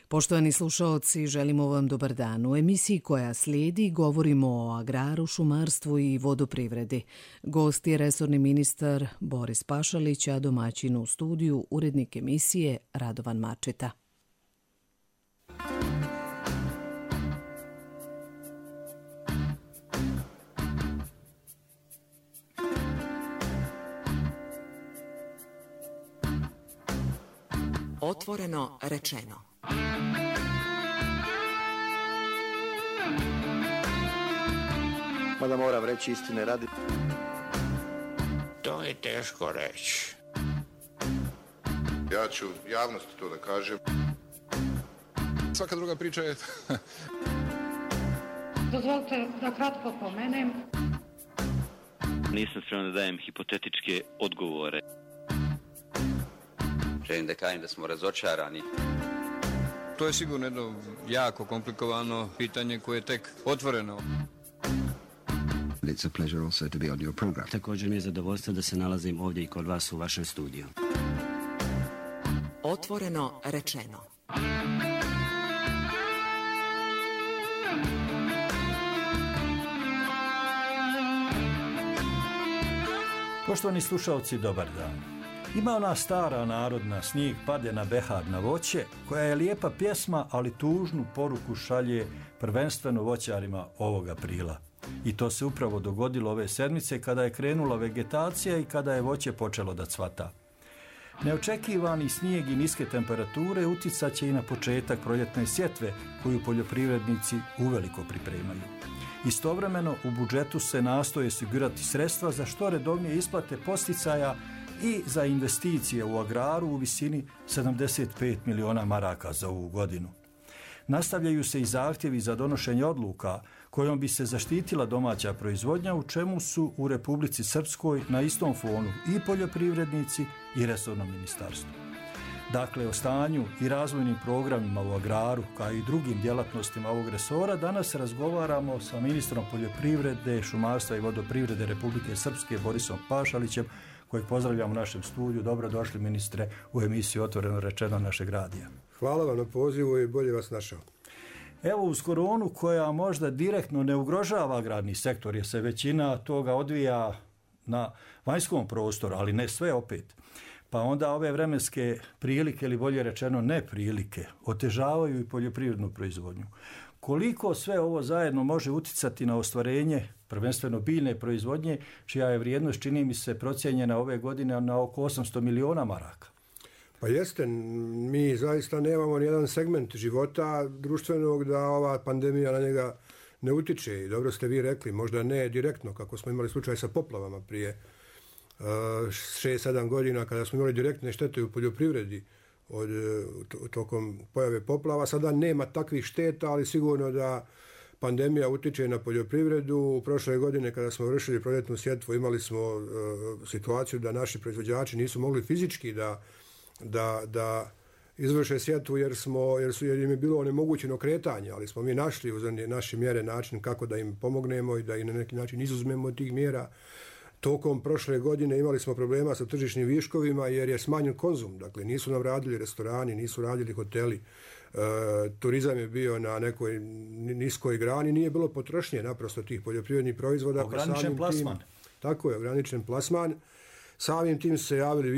Poštovani slušaoci, želimo vam dobar dan. U emisiji koja slijedi govorimo o agraru, šumarstvu i vodoprivredi. Gost je resorni ministar Boris Pašalić, a domaćin u studiju urednik emisije Radovan Mačeta. Otvoreno rečeno. Mada moram reći istine radi. To je teško reći. Ja ću javnosti to da kažem. Svaka druga priča je... Dozvolite da kratko pomenem. Nisam spreman da dajem hipotetičke odgovore. Želim da kažem da smo razočarani. To je sigurno jedno jako komplikovano pitanje koje je tek otvoreno. It's a pleasure also to be on your program. Također mi je zadovoljstvo da se nalazim ovdje i kod vas u vašem studiju. Otvoreno rečeno. Poštovani slušalci, dobar dan. Ima ona stara narodna snijeg pade na behar na voće, koja je lijepa pjesma, ali tužnu poruku šalje prvenstveno voćarima ovog aprila. I to se upravo dogodilo ove sedmice kada je krenula vegetacija i kada je voće počelo da cvata. Neočekivani snijeg i niske temperature uticat će i na početak proljetne sjetve koju poljoprivrednici uveliko pripremaju. Istovremeno u budžetu se nastoje osigurati sredstva za što redovnije isplate posticaja i za investicije u agraru u visini 75 miliona maraka za ovu godinu. Nastavljaju se i zahtjevi za donošenje odluka kojom bi se zaštitila domaća proizvodnja, u čemu su u Republici Srpskoj na istom fonu i poljoprivrednici i resorno ministarstvo. Dakle, o stanju i razvojnim programima u agraru, kao i drugim djelatnostima ovog resora, danas razgovaramo sa ministrom poljoprivrede, šumarstva i vodoprivrede Republike Srpske Borisom Pašalićem, kojeg pozdravljam u našem studiju. Dobrodošli, ministre, u emisiju Otvoreno rečeno našeg radija. Hvala vam na pozivu i bolje vas našao. Evo, uz koronu koja možda direktno ne ugrožava agrarni sektor, jer se većina toga odvija na vanjskom prostoru, ali ne sve opet. Pa onda ove vremenske prilike, ili bolje rečeno neprilike, otežavaju i poljoprivrednu proizvodnju. Koliko sve ovo zajedno može uticati na ostvarenje prvenstveno biljne proizvodnje, čija je vrijednost, čini mi se, procijenjena ove godine na oko 800 miliona maraka? Pa jeste, mi zaista nemamo nijedan segment života društvenog da ova pandemija na njega ne utiče. I dobro ste vi rekli, možda ne direktno, kako smo imali slučaj sa poplavama prije 6-7 godina, kada smo imali direktne štete u poljoprivredi tokom pojave poplava. Sada nema takvih šteta, ali sigurno da pandemija utiče na poljoprivredu. U prošle godine, kada smo vršili proljetnu sjetvu, imali smo situaciju da naši proizvođači nisu mogli fizički da izvrše sjetvu jer im je bilo onemogućeno kretanje, ali smo mi našli uz naše mjere način kako da im pomognemo i da ih na neki način izuzmemo od tih mjera. Tokom prošle godine imali smo problema sa tržišnim viškovima jer je smanjen konzum. Dakle, nisu nam radili restorani, nisu radili hoteli, turizam je bio na nekoj niskoj grani, nije bilo potrošnje naprosto tih poljoprivrednih proizvoda. Ograničen plasman. Tako je, ograničen plasman. Samim tim se javili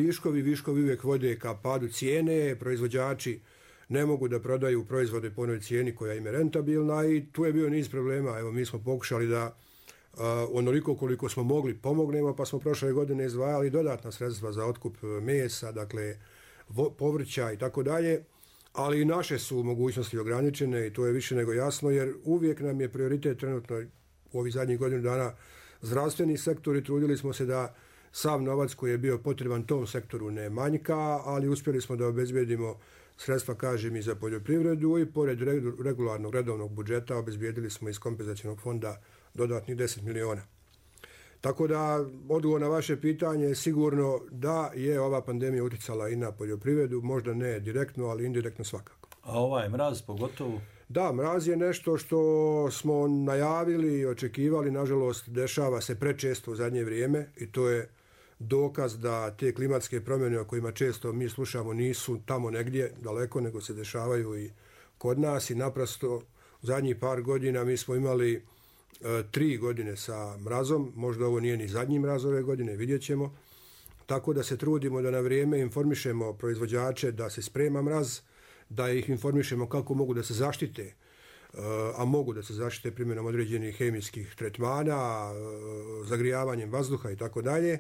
viškovi uvijek vode ka padu cijene, proizvođači ne mogu da prodaju proizvode po onoj cijeni koja im je rentabilna i tu je bio niz problema. Evo, mi smo pokušali da onoliko koliko smo mogli pomognemo, pa smo prošle godine izdvajali dodatna sredstva za otkup mesa, dakle povrća i tako dalje, ali i naše su mogućnosti ograničene i to je više nego jasno, jer uvijek nam je prioritet trenutno u ovih zadnjih godinu dana zdravstveni sektor i trudili smo se da sav novac koji je bio potreban tom sektoru ne manjka, ali uspjeli smo da obezbijedimo sredstva, kažem, i za poljoprivredu i pored regularnog redovnog budžeta obezbijedili smo iz kompenzacionog fonda dodatnih 10 miliona. Tako da, odgovor na vaše pitanje je sigurno da je ova pandemija uticala i na poljoprivredu, možda ne direktno, ali indirektno svakako. A ovaj mraz pogotovo? Da, mraz je nešto što smo najavili i očekivali, nažalost dešava se prečesto u zadnje vrijeme i to je dokaz da te klimatske promjene o kojima često mi slušamo nisu tamo negdje daleko, nego se dešavaju i kod nas i naprosto u zadnjih par godina mi smo imali 3 godine sa mrazom, možda ovo nije ni zadnji mraz ove godine, vidjet ćemo. Tako da se trudimo da na vrijeme informišemo proizvođače da se sprema mraz, da ih informišemo kako mogu da se zaštite, a mogu da se zaštite primjenom određenih hemijskih tretmana, zagrijavanjem vazduha i tako dalje.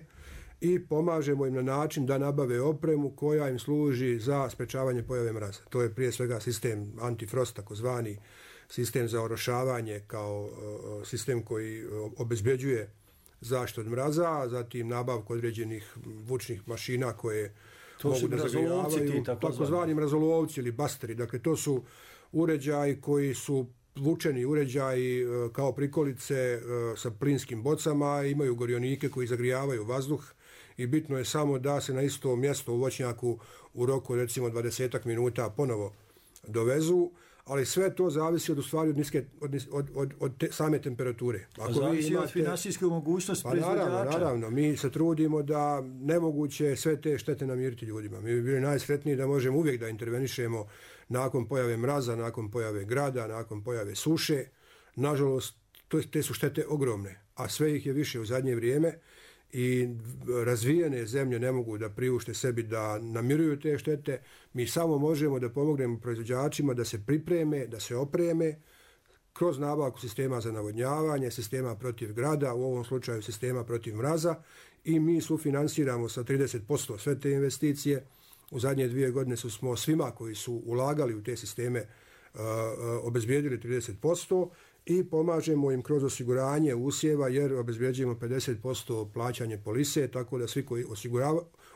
I pomažemo im na način da nabave opremu koja im služi za sprečavanje pojave mraza. To je prije svega sistem antifrost, takozvani sistem za orošavanje kao sistem koji obezbeđuje zaštitu od mraza, zatim nabavku određenih vučnih mašina koje mogu da zagrijavaju, takozvani mrazolovci ili basteri. Dakle, to su uređaji koji su vučeni uređaji kao prikolice sa plinskim bocama, imaju gorionike koji zagrijavaju vazduh i bitno je samo da se na isto mjesto u voćnjaku u roku recimo 20 minuta ponovo dovezu, ali sve to zavisi od same temperature. Zavisi od finansijske mogućnosti proizvođača. Naravno, mi se trudimo da nemoguće sve te štete namiriti ljudima. Mi bi bili najsretniji da možemo uvijek da intervenišemo nakon pojave mraza, nakon pojave grada, nakon pojave suše. Nažalost, te su štete ogromne, a sve ih je više u zadnje vrijeme i razvijene zemlje ne mogu da priušte sebi da namiruju te štete. Mi samo možemo da pomognemo proizvođačima da se pripreme, da se opreme kroz nabavku sistema za navodnjavanje, sistema protiv grada, u ovom slučaju sistema protiv mraza, i mi sufinansiramo sa 30% sve te investicije. U zadnje 2 godine smo svima koji su ulagali u te sisteme obezbijedili 30% i pomažemo im kroz osiguranje usjeva, jer obezbeđujemo 50% plaćanje polise, tako da svi koji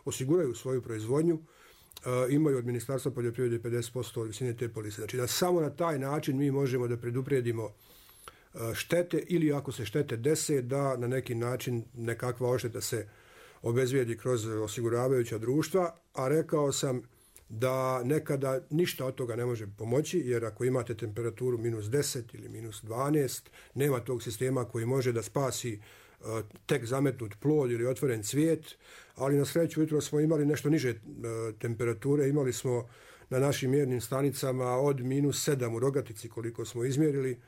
osiguraju svoju proizvodnju imaju od Ministarstva poljoprivrede 50% od visine te polise. Znači da samo na taj način mi možemo da preduprijedimo štete, ili ako se štete dese, da na neki način nekakva odšteta se obezbijedi kroz osiguravajuća društva, a rekao sam da nekada ništa od toga ne može pomoći, jer ako imate temperaturu -10 ili -12, nema tog sistema koji može da spasi tek zametnut plod ili otvoren cvijet, ali na sreću jutro smo imali nešto niže temperature, imali smo na našim mjernim stanicama od -7 u Rogatici koliko smo izmjerili,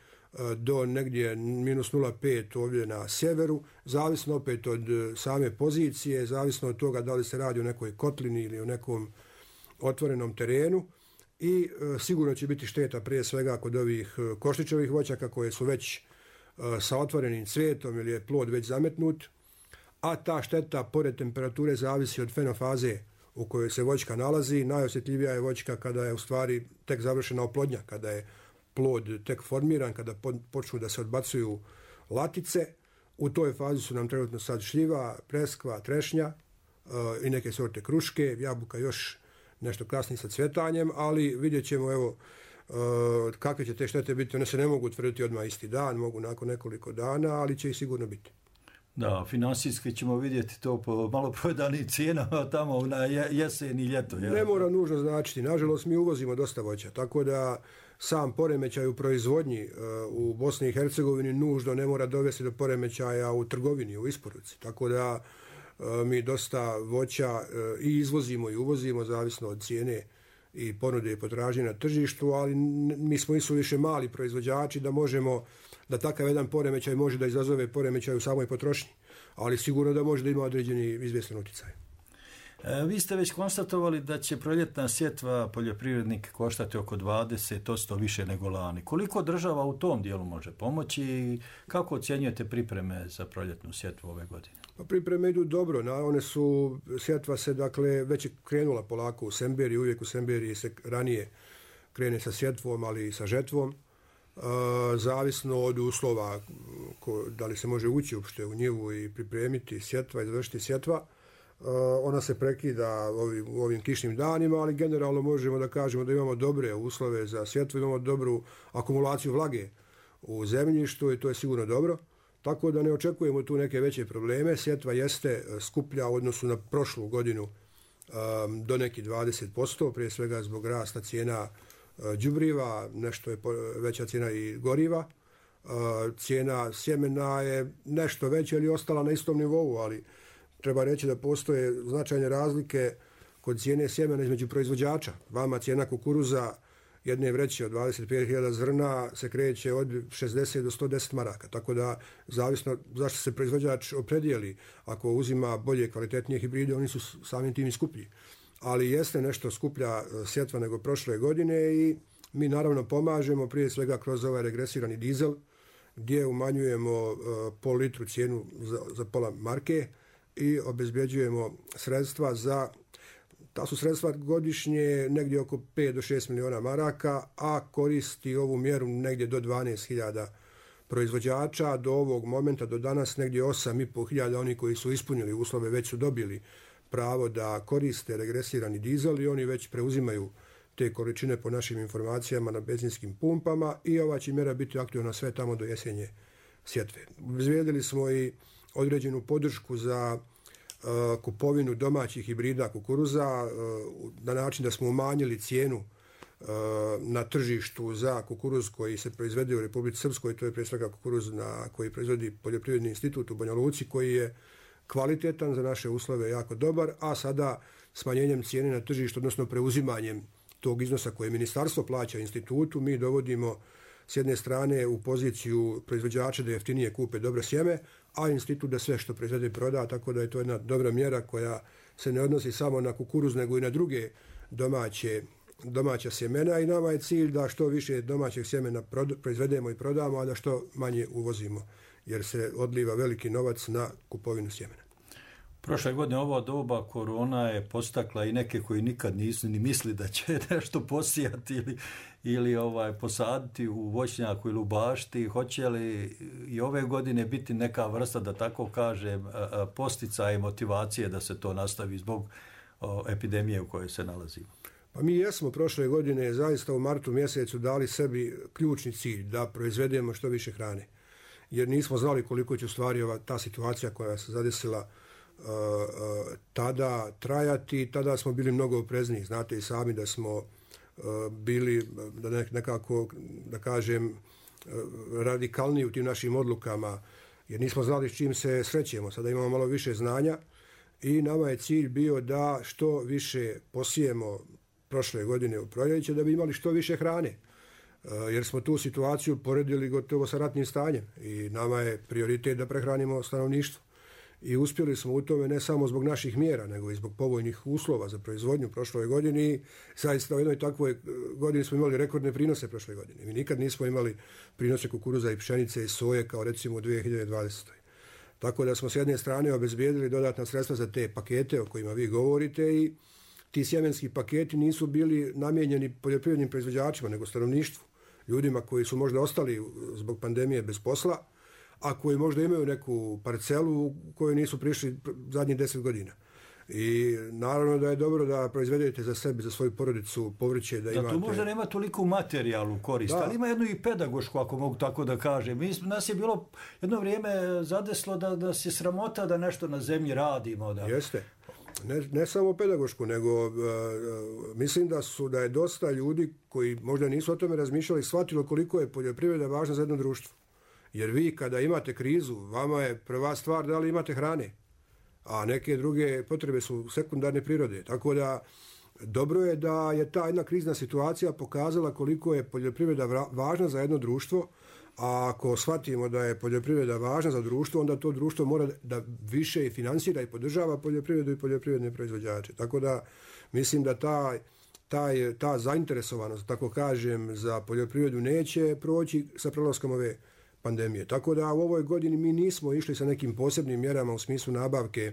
do negdje -0,5 ovdje na sjeveru, zavisno opet od same pozicije, zavisno od toga da li se radi o nekoj kotlini ili o nekom otvorenom terenu, i sigurno će biti šteta prije svega kod ovih koštićevih voćaka koje su već sa otvorenim cvijetom ili je plod već zametnut, a ta šteta pored temperature zavisi od fenofaze u kojoj se voćka nalazi. Najosjetljivija je voćka kada je u stvari tek završena oplodnja, kada je plod tek formiran, kada počnu da se odbacuju latice. U toj fazi su nam trenutno sad šljiva, preskva, trešnja i neke sorte kruške, jabuka još nešto kasnije sa cvjetanjem, ali vidjet ćemo evo kakve će te štete biti. One se ne mogu utvrditi odmah isti dan, mogu nakon nekoliko dana, ali će i sigurno biti. Da, finansijski ćemo vidjeti to po maloprodanim cijenama tamo na jesen i ljeto. Ja. Ne mora nužno značiti. Nažalost, mi uvozimo dosta voća, tako da sam poremećaj u proizvodnji u Bosni i Hercegovini nužno ne mora dovesti do poremećaja u trgovini, u isporuci. Tako da mi dosta voća i izvozimo i uvozimo, zavisno od cijene i ponude i potražnje na tržištu, ali mi smo više mali proizvođači da možemo, da takav jedan poremećaj može da izazove poremećaj u samoj potrošnji, ali sigurno da može da ima određeni izvjestan utjecaj. Vi ste već konstatovali da će proljetna sjetva poljoprivrednike koštati oko 20% više nego lani. Koliko država u tom dijelu može pomoći i kako ocjenjujete pripreme za proljetnu sjetvu ove godine? Pa pripreme idu dobro, one su, sjetva se dakle već je krenula polako u Semberiji, uvijek u Semberiji se ranije krene sa sjetvom, ali i sa žetvom. Zavisno od uslova da li se može ući uopšte u njivu i pripremiti sjetva i završiti sjetva. Ona se prekida u ovim kišnim danima, ali generalno možemo da kažemo da imamo dobre uslove za sjetvu, imamo dobru akumulaciju vlage u zemljištu i to je sigurno dobro. Tako da ne očekujemo tu neke veće probleme. Sjetva jeste skuplja u odnosu na prošlu godinu do nekih 20%, prije svega zbog rasta cijena đubriva, nešto je veća cijena i goriva. Cijena sjemena je nešto veća ili ostala na istom nivou, ali treba reći da postoje značajne razlike kod cijene sjemena između proizvođača. Vama cijena kukuruza jedne vreće od 25.000 zrna se kreće od 60 do 110 maraka. Tako da, zavisno zašto se proizvođač opredijeli, ako uzima bolje, kvalitetnije hibride, oni su samim tim i skuplji. Ali jeste nešto skuplja sjetva nego prošle godine i mi naravno pomažemo prije svega kroz ovaj regresirani dizel, gdje umanjujemo pol litru cijenu za pola marke i obezbjeđujemo sredstva za, ta su sredstva godišnje negdje oko 5 do 6 miliona maraka, a koristi ovu mjeru negdje do 12.000 proizvođača. Do ovog momenta, do danas, negdje 8.500 oni koji su ispunili uslove već su dobili pravo da koriste regresirani dizel i oni već preuzimaju te količine po našim informacijama na benzinskim pumpama i ova će mjera biti aktivna sve tamo do jesenje sjetve. Obezbijedili smo i određenu podršku za kupovinu domaćih hibrida kukuruza na način da smo umanjili cijenu na tržištu za kukuruz koji se proizvede u Republici Srpskoj, to je prije svega kukuruz koji proizvodi Poljoprivredni institut u Banja Luci, koji je kvalitetan za naše uslove, jako dobar, a sada smanjenjem cijene na tržištu, odnosno preuzimanjem tog iznosa koje ministarstvo plaća institutu, mi dovodimo s jedne strane u poziciju proizvođača da jeftinije kupe dobro sjeme, a institut da sve što proizvede proda, tako da je to jedna dobra mjera koja se ne odnosi samo na kukuruz, nego i na druge domaća sjemena i nama je cilj da što više domaćeg sjemena proizvedemo i prodamo, a da što manje uvozimo, jer se odliva veliki novac na kupovinu sjemena. Prošle godine ovo doba korona je postakla i neke koji nikad nisu ni misli da će nešto posijati ili posaditi u voćnjaku ili u bašti. Hoće li i ove godine biti neka vrsta, da tako kažem, posticaja i motivacije da se to nastavi zbog epidemije u kojoj se nalazimo? Pa mi jesmo prošle godine zaista u martu mjesecu dali sebi ključni cilj da proizvedemo što više hrane. Jer nismo znali koliko će u stvari ta situacija koja se zadesila tada trajati. Tada smo bili mnogo oprezniji. Znate i sami da smo bili nekako, da kažem, radikalniji u tim našim odlukama, jer nismo znali s čim se srećemo. Sada imamo malo više znanja i nama je cilj bio da što više posijemo prošle godine u proljeće, da bi imali što više hrane. Jer smo tu situaciju poredili gotovo sa ratnim stanjem i nama je prioritet da prehranimo stanovništvo. I uspjeli smo u tome ne samo zbog naših mjera, nego i zbog povoljnih uslova za proizvodnju prošloj godini. Zaista u jednoj takvoj godini smo imali rekordne prinose prošle godine. Mi nikad nismo imali prinose kukuruza i pšenice i soje kao recimo u 2020. Tako da smo s jedne strane obezbijedili dodatna sredstva za te pakete o kojima vi govorite i ti sjemenski paketi nisu bili namijenjeni poljoprivrednim proizvođačima, nego stanovništvu. Ljudima koji su možda ostali zbog pandemije bez posla, a koji možda imaju neku parcelu u kojoj nisu prišli zadnjih 10 godina. I naravno da je dobro da proizvedete za sebe, za svoju porodicu povrće, da imate... Da, tu možda nema toliko materijalnu korist, ali ima jednu i pedagošku, ako mogu tako da kažem. Nas je bilo jedno vrijeme zadeslo da se sramota da nešto na zemlji radimo. Da... Jeste. Ne samo pedagošku, nego mislim da je dosta ljudi koji možda nisu o tome razmišljali, shvatilo koliko je poljoprivreda važna za jedno društvo. Jer vi kada imate krizu, vama je prva stvar da li imate hrane, a neke druge potrebe su sekundarne prirode. Tako da dobro je da je ta jedna krizna situacija pokazala koliko je poljoprivreda važna za jedno društvo, a ako shvatimo da je poljoprivreda važna za društvo, onda to društvo mora da više finansira i podržava poljoprivredu i poljoprivredne proizvođače. Tako da mislim da ta zainteresovanost, tako kažem, za poljoprivredu neće proći sa prelaskom ove pandemije. Tako da u ovoj godini mi nismo išli sa nekim posebnim mjerama u smislu nabavke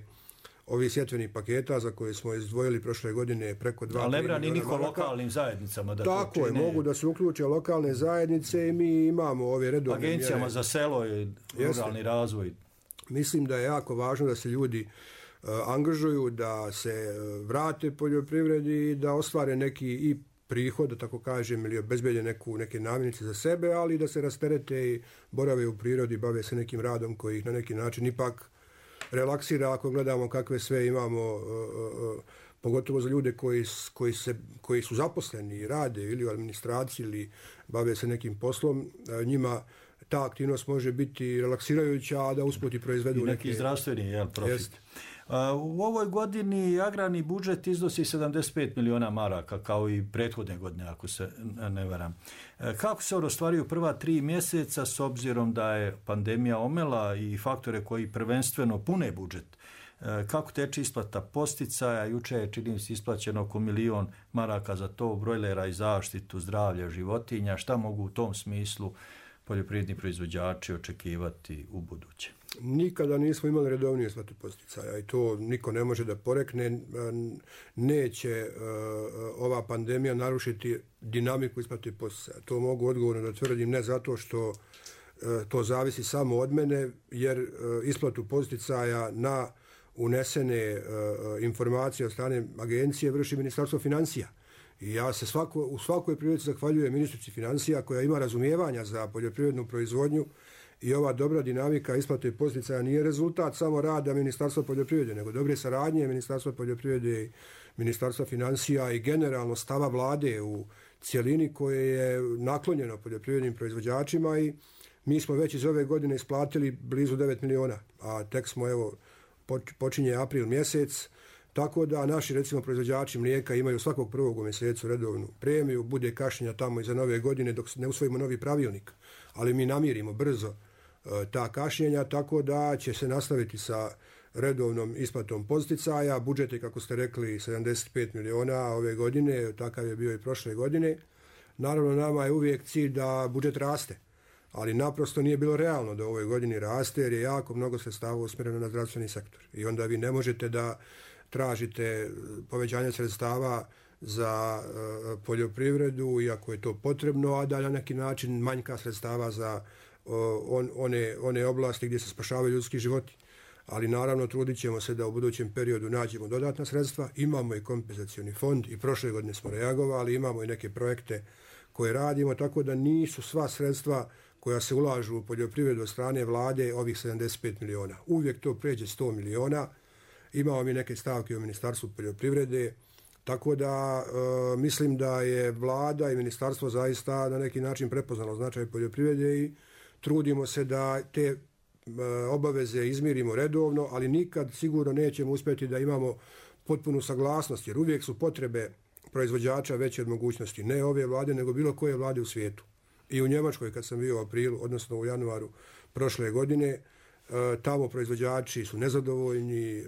ovih sjetvenih paketa za koje smo izdvojili prošle godine preko 2 miliona maraka. Ali ne brani niko lokalnim zajednicama da tako to čine. Tako je, mogu da se uključe lokalne zajednice i mi imamo ove redovne mjere. Agencijama za selo i ruralni razvoj. Mislim da je jako važno da se ljudi angažuju, da se vrate poljoprivredi, da ostvare neki i prihod, da tako kažem, ili obezbede neke namirnice za sebe, ali da se rasterete i borave u prirodi, bave se nekim radom koji ih na neki način ipak relaksira ako gledamo kakve sve imamo, pogotovo za ljude koji su zaposleni i rade ili u administraciji ili bave se nekim poslom, njima ta aktivnost može biti relaksirajuća, a da usput i proizvedu neki zdravstveni profit. U ovoj godini agrarni budžet iznosi 75 miliona maraka, kao i prethodne godine, ako se ne varam. Kako se on ostvario prva 3 mjeseca, s obzirom da je pandemija omela i faktore koji prvenstveno pune budžet? Kako teče isplata posticaja? Juče je, čini mi se, isplaćeno oko 1 milion maraka za to, brojlera i zaštitu zdravlja životinja. Šta mogu u tom smislu poljoprivredni proizvođači očekivati u buduće? Nikada nismo imali redovniju isplatu posticaja i to niko ne može da porekne. Neće ova pandemija narušiti dinamiku isplate posticaja. To mogu odgovorno da tvrdim, ne zato što to zavisi samo od mene, jer isplatu posticaja na unesene informacije od strane agencije vrši Ministarstvo financija. I ja se u svakoj prilici zahvaljujem ministrici financija koja ima razumijevanja za poljoprivrednu proizvodnju i ova dobra dinamika isplate posticaja nije rezultat samo rada Ministarstva poljoprivrede, nego dobre saradnje Ministarstva poljoprivrede i Ministarstva financija i generalno stava vlade u cjelini koje je naklonjeno poljoprivrednim proizvođačima i mi smo već iz ove godine isplatili blizu 9 miliona, a tek smo, evo, počinje april mjesec, tako da naši, recimo, proizvođači mlijeka imaju svakog prvog u mjesecu redovnu premiju, bude kašnjenja tamo iza nove godine dok ne usvojimo novi pravilnik, ali mi namirimo brzo ta kašnjenja, tako da će se nastaviti sa redovnom isplatom posticaja. Budžet je, kako ste rekli, 75 miliona ove godine, takav je bio i prošle godine. Naravno, nama je uvijek cilj da budžet raste, ali naprosto nije bilo realno da u ovoj godini raste jer je jako mnogo sredstava usmjereno na zdravstveni sektor. I onda vi ne možete da tražite povećanje sredstava za poljoprivredu, iako je to potrebno, a da na neki način manjka sredstava za one oblasti gdje se spašavaju ljudski životi. Ali naravno trudit ćemo se da u budućem periodu nađemo dodatna sredstva. Imamo i kompenzacioni fond i prošle godine smo reagovali, imamo i neke projekte koje radimo, tako da nisu sva sredstva koja se ulažu u poljoprivredu od strane vlade ovih 75 miliona. Uvijek to pređe 100 miliona. Imamo mi neke stavke u Ministarstvu poljoprivrede, tako da mislim da je vlada i ministarstvo zaista na neki način prepoznalo značaj poljoprivrede i trudimo se da te obaveze izmirimo redovno, ali nikad sigurno nećemo uspjeti da imamo potpunu saglasnost, jer uvijek su potrebe proizvođača veće od mogućnosti, ne ove vlade, nego bilo koje vlade u svijetu. I u Njemačkoj, kad sam bio u aprilu, odnosno u januaru prošle godine, tamo proizvođači su nezadovoljni,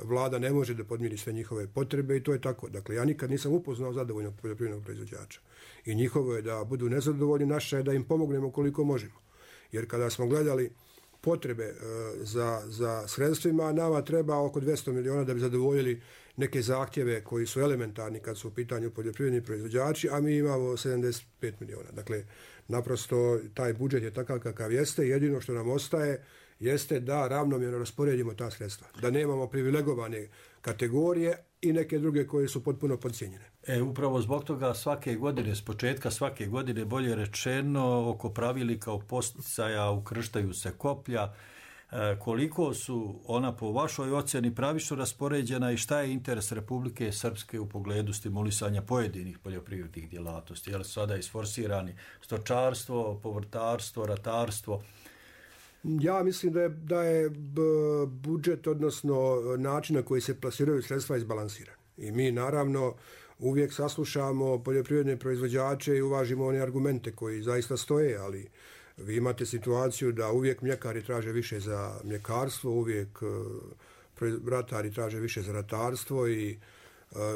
vlada ne može da podmiri sve njihove potrebe i to je tako. Dakle, ja nikad nisam upoznao zadovoljnog poljoprivrednog proizvođača. I njihovo je da budu nezadovoljni, naše je da im pomognemo koliko možemo. Jer kada smo gledali potrebe za sredstvima, nama treba oko 200 miliona da bi zadovoljili neke zahtjeve koji su elementarni kad su u pitanju poljoprivredni proizvođači, a mi imamo 75 miliona. Dakle, naprosto taj budžet je takav kakav jeste. Jedino što nam ostaje jeste da ravnomjerno rasporedimo ta sredstva. Da nemamo privilegovane kategorije i neke druge koje su potpuno podcijenjene. Upravo zbog toga svake godine, s početka svake godine, bolje rečeno, oko pravilnika o posticaja ukrštaju se koplja. Koliko su ona po vašoj ocjeni pravično raspoređena i šta je interes Republike Srpske u pogledu stimulisanja pojedinih poljoprivrednih djelatnosti? Je li sada isforsirani stočarstvo, povrtarstvo, ratarstvo? Ja mislim da je budžet, odnosno način na koji se plasiraju sredstva, izbalansiran. I mi naravno uvijek saslušamo poljoprivredne proizvođače i uvažimo one argumente koji zaista stoje, ali vi imate situaciju da uvijek mljekari traže više za mljekarstvo, uvijek ratari traže više za ratarstvo i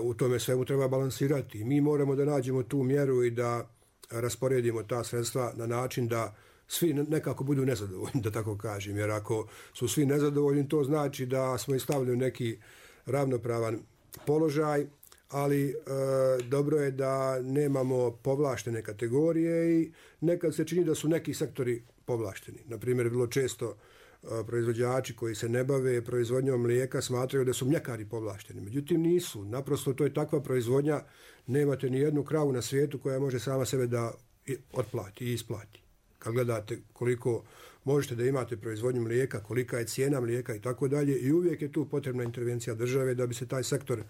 u tome svemu treba balansirati. Mi moramo da nađemo tu mjeru i da rasporedimo ta sredstva na način da svi nekako budu nezadovoljni, da tako kažem. Jer ako su svi nezadovoljni, to znači da smo stavili u neki ravnopravan položaj, ali dobro je da nemamo povlaštene kategorije i nekad se čini da su neki sektori povlašteni. Naprimjer, vrlo često proizvođači koji se ne bave proizvodnjom mlijeka smatraju da su mljekari povlašteni. Međutim, nisu. Naprosto to je takva proizvodnja, nemate ni jednu kravu na svijetu koja može sama sebe da otplati i isplati. Kad gledate koliko možete da imate proizvodnju mlijeka, kolika je cijena mlijeka i tako dalje, i uvijek je tu potrebna intervencija države da bi se taj sektor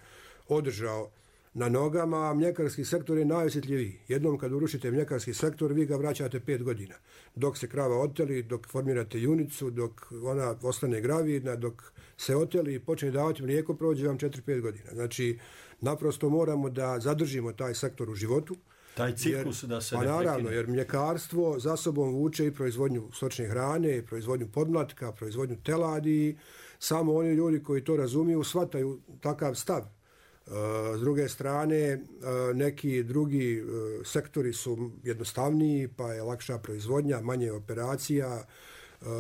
održao na nogama, a mljekarski sektor je najosjetljiviji. Jednom kad urušite mljekarski sektor, vi ga vraćate 5 godina. Dok se krava oteli, dok formirate junicu, dok ona ostane gravidna, dok se oteli i počne davati mlijeko, prođe vam 4-5 godina. Znači, naprosto moramo da zadržimo taj sektor u životu. Taj ciklus da se ne prekine. Naravno, jer mljekarstvo za sobom vuče i proizvodnju stočne hrane, proizvodnju podmlatka, proizvodnju teladi. Samo oni ljudi koji to razumiju shvataju takav stav. S druge strane, neki drugi sektori su jednostavniji, pa je lakša proizvodnja, manje operacija,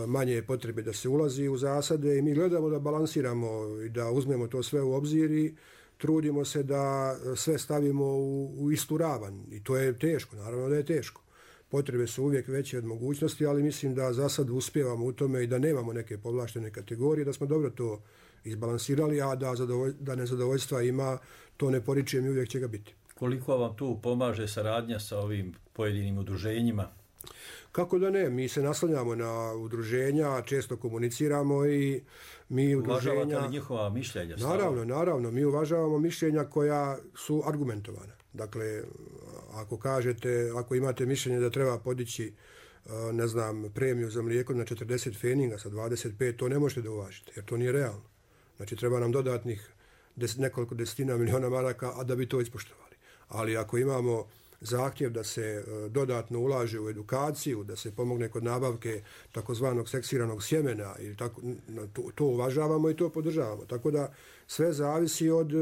manje je potrebe da se ulazi u zasade i mi gledamo da balansiramo i da uzmemo to sve u obzir i trudimo se da sve stavimo u istu ravan. I to je teško, naravno da je teško. Potrebe su uvijek veće od mogućnosti, ali mislim da za sad uspijevamo u tome i da nemamo neke povlaštene kategorije, da smo dobro to izbalansirali, a da nezadovoljstva ima, to ne poričujem i uvijek će ga biti. Koliko vam tu pomaže saradnja sa ovim pojedinim udruženjima? Kako da ne, mi se naslanjamo na udruženja, često komuniciramo i mi udruženja... Uvažavate li njihova mišljenja? Naravno, mi uvažavamo mišljenja koja su argumentovana. Dakle, ako imate mišljenje da treba podići premiju za mlijeko na 40 feninga sa 25, to ne možete da uvažite, jer to nije realno. Znači, treba nam dodatnih nekoliko desetina miliona maraka, a da bi to ispoštovali. Ali ako imamo zahtjev da se dodatno ulaže u edukaciju, da se pomogne kod nabavke takozvanog seksiranog sjemena, ili tako, to uvažavamo i to podržavamo. Tako da sve zavisi od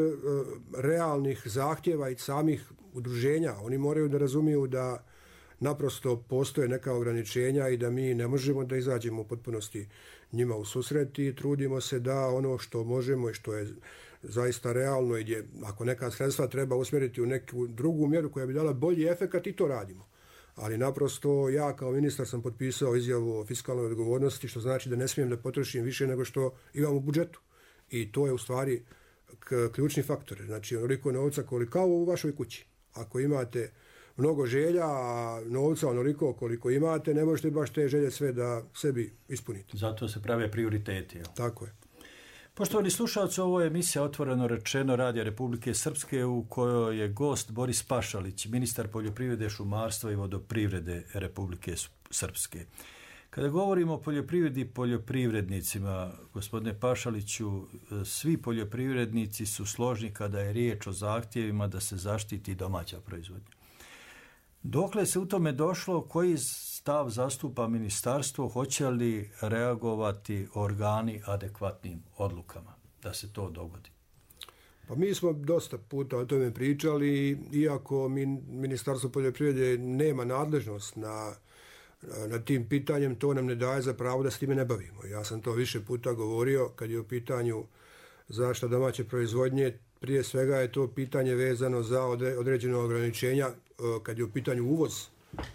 realnih zahtjeva i samih udruženja. Oni moraju da razumiju da naprosto postoje neka ograničenja i da mi ne možemo da izađemo u potpunosti njima u susret i trudimo se da ono što možemo i što je zaista realno i gdje ako neka sredstva treba usmjeriti u neku drugu mjeru koja bi dala bolji efekat i to radimo. Ali naprosto ja kao ministar sam potpisao izjavu o fiskalnoj odgovornosti, što znači da ne smijem da potrošim više nego što imam u budžetu. I to je u stvari ključni faktor. Znači onoliko novca koliko u vašoj kući. Ako imate mnogo želja, a novca onoliko koliko imate, ne možete baš te želje sve da sebi ispunite. Zato se prave prioriteti. Tako je. Poštovani slušalci, ovo je emisija Otvoreno rečeno Radija Republike Srpske u kojoj je gost Boris Pašalić, ministar poljoprivrede, šumarstva i vodoprivrede Republike Srpske. Kada govorimo o poljoprivredi i poljoprivrednicima, gospodine Pašaliću, svi poljoprivrednici su složni kada je riječ o zahtjevima da se zaštiti domaća proizvodnja. Dokle se u tome došlo, koji stav zastupa ministarstvo, hoće li reagovati organi adekvatnim odlukama da se to dogodi? Pa mi smo dosta puta o tome pričali, iako Ministarstvo poljoprivrede nema nadležnost na tim pitanjem, to nam ne daje za pravo da s time ne bavimo. Ja sam to više puta govorio kad je u pitanju zaštita domaće proizvodnje. Prije svega je to pitanje vezano za određeno ograničenja kad je u pitanju uvoz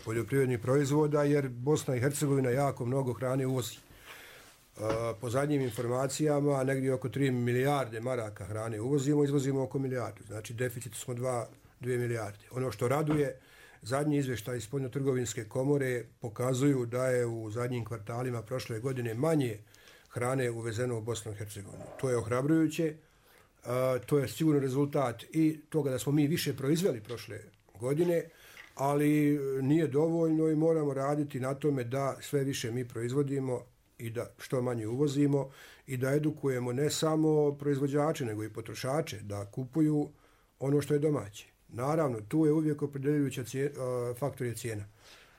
poljoprivrednih proizvoda, jer Bosna i Hercegovina jako mnogo hrane uvozi. Po zadnjim informacijama, negdje oko 3 milijarde maraka hrane uvozimo, izvozimo oko milijardu. Znači, deficit smo 2 milijarde. Ono što raduje, zadnji izvještaj iz Spoljnotrgovinske komore pokazuju da je u zadnjim kvartalima prošle godine manje hrane uvezeno u Bosnu i Hercegovinu. To je ohrabrujuće. To je sigurno rezultat i toga da smo mi više proizveli prošle godine, ali nije dovoljno i moramo raditi na tome da sve više mi proizvodimo i da što manje uvozimo i da edukujemo ne samo proizvođače, nego i potrošače da kupuju ono što je domaće. Naravno, tu je uvijek opределjujuća faktor je cijena.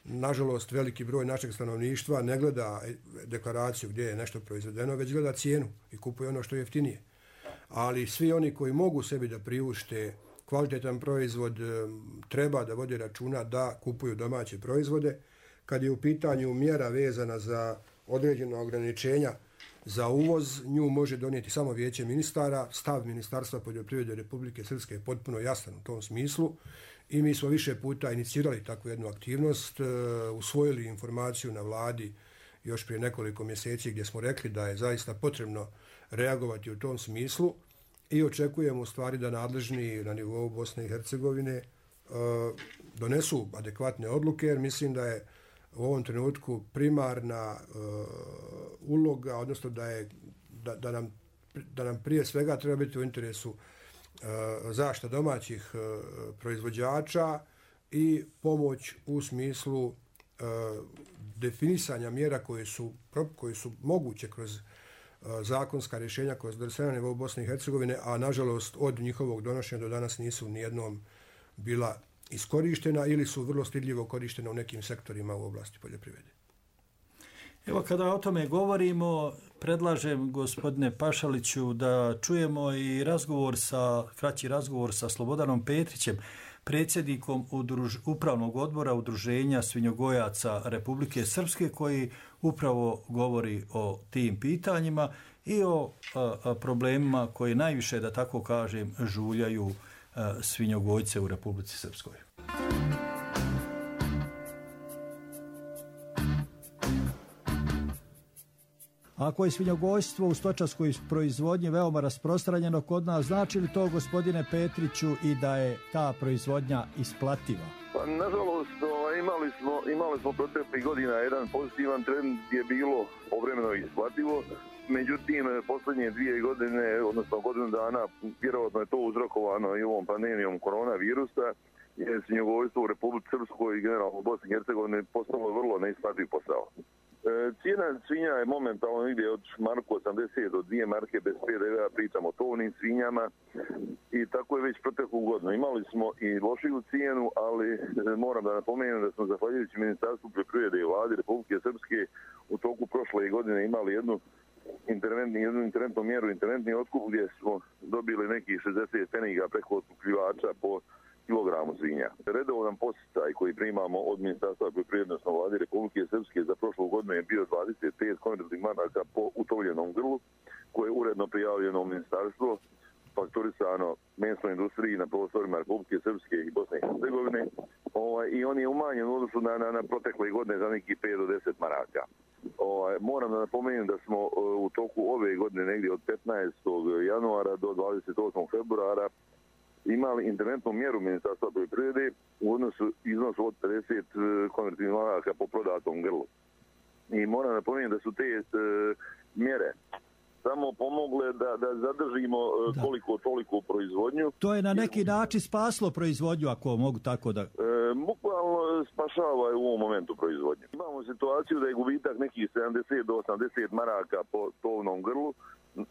Nažalost, veliki broj našeg stanovništva ne gleda deklaraciju gdje je nešto proizvedeno, već gleda cijenu i kupuje ono što je jeftinije. Ali svi oni koji mogu sebi da priušte kvalitetan proizvod, treba da vode računa da kupuju domaće proizvode. Kad je u pitanju mjera vezana za određena ograničenja za uvoz, nju može donijeti samo Vijeće ministara. Stav Ministarstva poljoprivrede Republike Srpske je potpuno jasan u tom smislu i mi smo više puta inicirali takvu jednu aktivnost, usvojili informaciju na vladi još prije nekoliko mjeseci gdje smo rekli da je zaista potrebno reagovati u tom smislu i očekujemo u stvari da nadležni na nivou Bosne i Hercegovine donesu adekvatne odluke, jer mislim da je u ovom trenutku primarna uloga, odnosno da nam prije svega treba biti u interesu zaštita domaćih proizvođača i pomoć u smislu definisanja mjera koje su moguće kroz zakonska rješenja koja su donesena na nivou Bosne i Hercegovine, a nažalost od njihovog donošenja do danas nisu nijednom bila iskorištena ili su vrlo stidljivo korištena u nekim sektorima u oblasti poljoprivrede. Evo, kada o tome govorimo, predlažem, gospodine Pašaliću, da čujemo i kraći razgovor sa Slobodanom Petrićem, predsjednikom Upravnog odbora Udruženja svinjogojaca Republike Srpske, koji upravo govori o tim pitanjima i o problemima koji najviše, da tako kažem, žuljaju svinjogojce u Republici Srpskoj. Ako je svinjogojstvo u stočarskoj proizvodnji veoma rasprostranjeno kod nas, znači li to, gospodine Petriću, i da je ta proizvodnja isplativa? Pa, nažalost, imali smo proteklih godina jedan pozitivan trend gdje je bilo povremeno isplativo. Međutim, posljednje 2 godine, odnosno godinu dana, vjerojatno je to uzrokovano i ovom pandemijom koronavirusa, je svinjogojstvo u Republici Srpskoj i generalno u Bosni i Hercegovini postalo vrlo neisplativ posao. Cijena svinja je momentalno negdje od marku 80 do 2 marke bez PDV-a, pričamo o tovnim svinjama, i tako je već proteklu godinu. Imali smo i lošiju cijenu, ali moram da napomenem da smo, zahvaljujući Ministarstvu poljoprivrede i Vladi Republike Srpske, u toku prošle godine imali jednu interventnu mjeru, interventni otkup, gdje smo dobili nekih 60 pfeniga preko otkupljivača po kilogramu svinja. Redovan posticaj koji primamo od Ministarstva poljoprivrede i Vlade Republike Srpske za prošlu godinu je bio 25 konvertnih maraka po utovljenom grlu, koje je uredno prijavljeno u ministarstvo, fakturisano mesnoj industriji na prostorima Republike Srpske i Bosne i Hercegovine, i on je umanjen u odnosu na protekle godine za nekih 5 do 10 maraka. Moram da napomenem da smo u toku ove godine, negdje od 15. januara do 28. februara, imali interventnu mjeru Ministarstva poljoprivrede u iznosu od 50 konvertnih maraka po prodatom grlu. I moram napomenuti da su te mjere samo pomogle da zadržimo koliko toliko proizvodnju. To je na neki način spaslo proizvodnju, ako mogu tako da... Bukvalno spašava u ovom momentu proizvodnju. Imamo situaciju da je gubitak nekih 70 do 80 maraka po tovnom grlu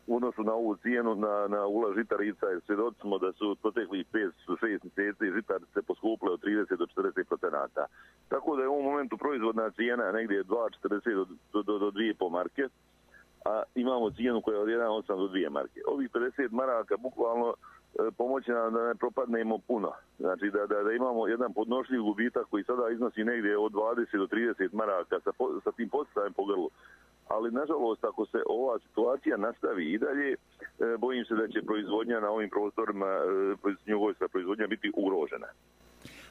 u odnosu na ovu cijenu na ula žitarica, jer svjedoci smo da su proteklih 5-6 mjeseci žitarice poskupile od 30 do 40%. Tako da je u ovom momentu proizvodna cijena negdje 2,40 do 2,5 marke, a imamo cijenu koja je od 1,8 do 2 marke. Ovih 50 maraka bukvalno pomoći nam da ne propadnemo puno. Znači da imamo jedan podnošljiv gubitak koji sada iznosi negdje od 20 do 30 maraka sa tim poticajem po grlu. Ali, nažalost, ako se ova situacija nastavi i dalje, bojim se da će proizvodnja na ovim prostorima, svinjogojska proizvodnja, biti ugrožena.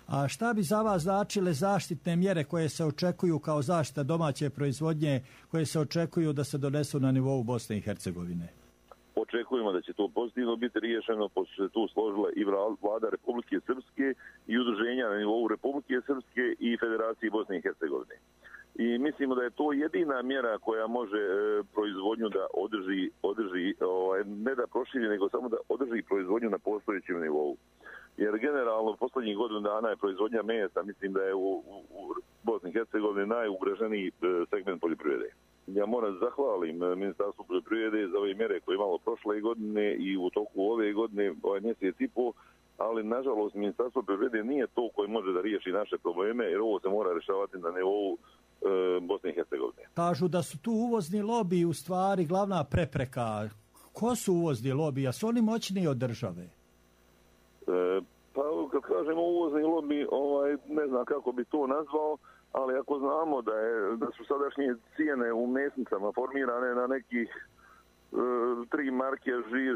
A šta bi za vas značile zaštitne mjere koje se očekuju kao zaštita domaće proizvodnje, koje se očekuju da se donesu na nivou Bosne i Hercegovine? Očekujemo da će to pozitivno biti riješeno, pošto se tu složila i Vlada Republike Srpske i udruženja na nivou Republike Srpske i Federacije Bosne i Hercegovine. I mislimo da je to jedina mjera koja može proizvodnju da održi, ne da proširi, nego samo da održi proizvodnju na postojećem nivou. Jer generalno posljednjih godinu dana je proizvodnja mesa, mislim da je u Bosni i Hercegovini najugroženiji segment poljoprivrede. Ja moram zahvalim Ministarstvu poljoprivrede za ove mjere koje imalo prošle godine i u toku ove godine, mjesec i pol, ali nažalost Ministarstvo poljoprivrede nije to koje može da riješi naše probleme, jer ovo se mora rješavati na nivou Bosne i Hercegovine. Kažu da su tu uvozni lobiji u stvari glavna prepreka. Ko su uvozni lobiji? A su oni moćniji od države? Pa kad kažemo uvozni lobiji, ne znam kako bi to nazvao, ali ako znamo da su sadašnje cijene u mesnicama formirane na nekih 3 marke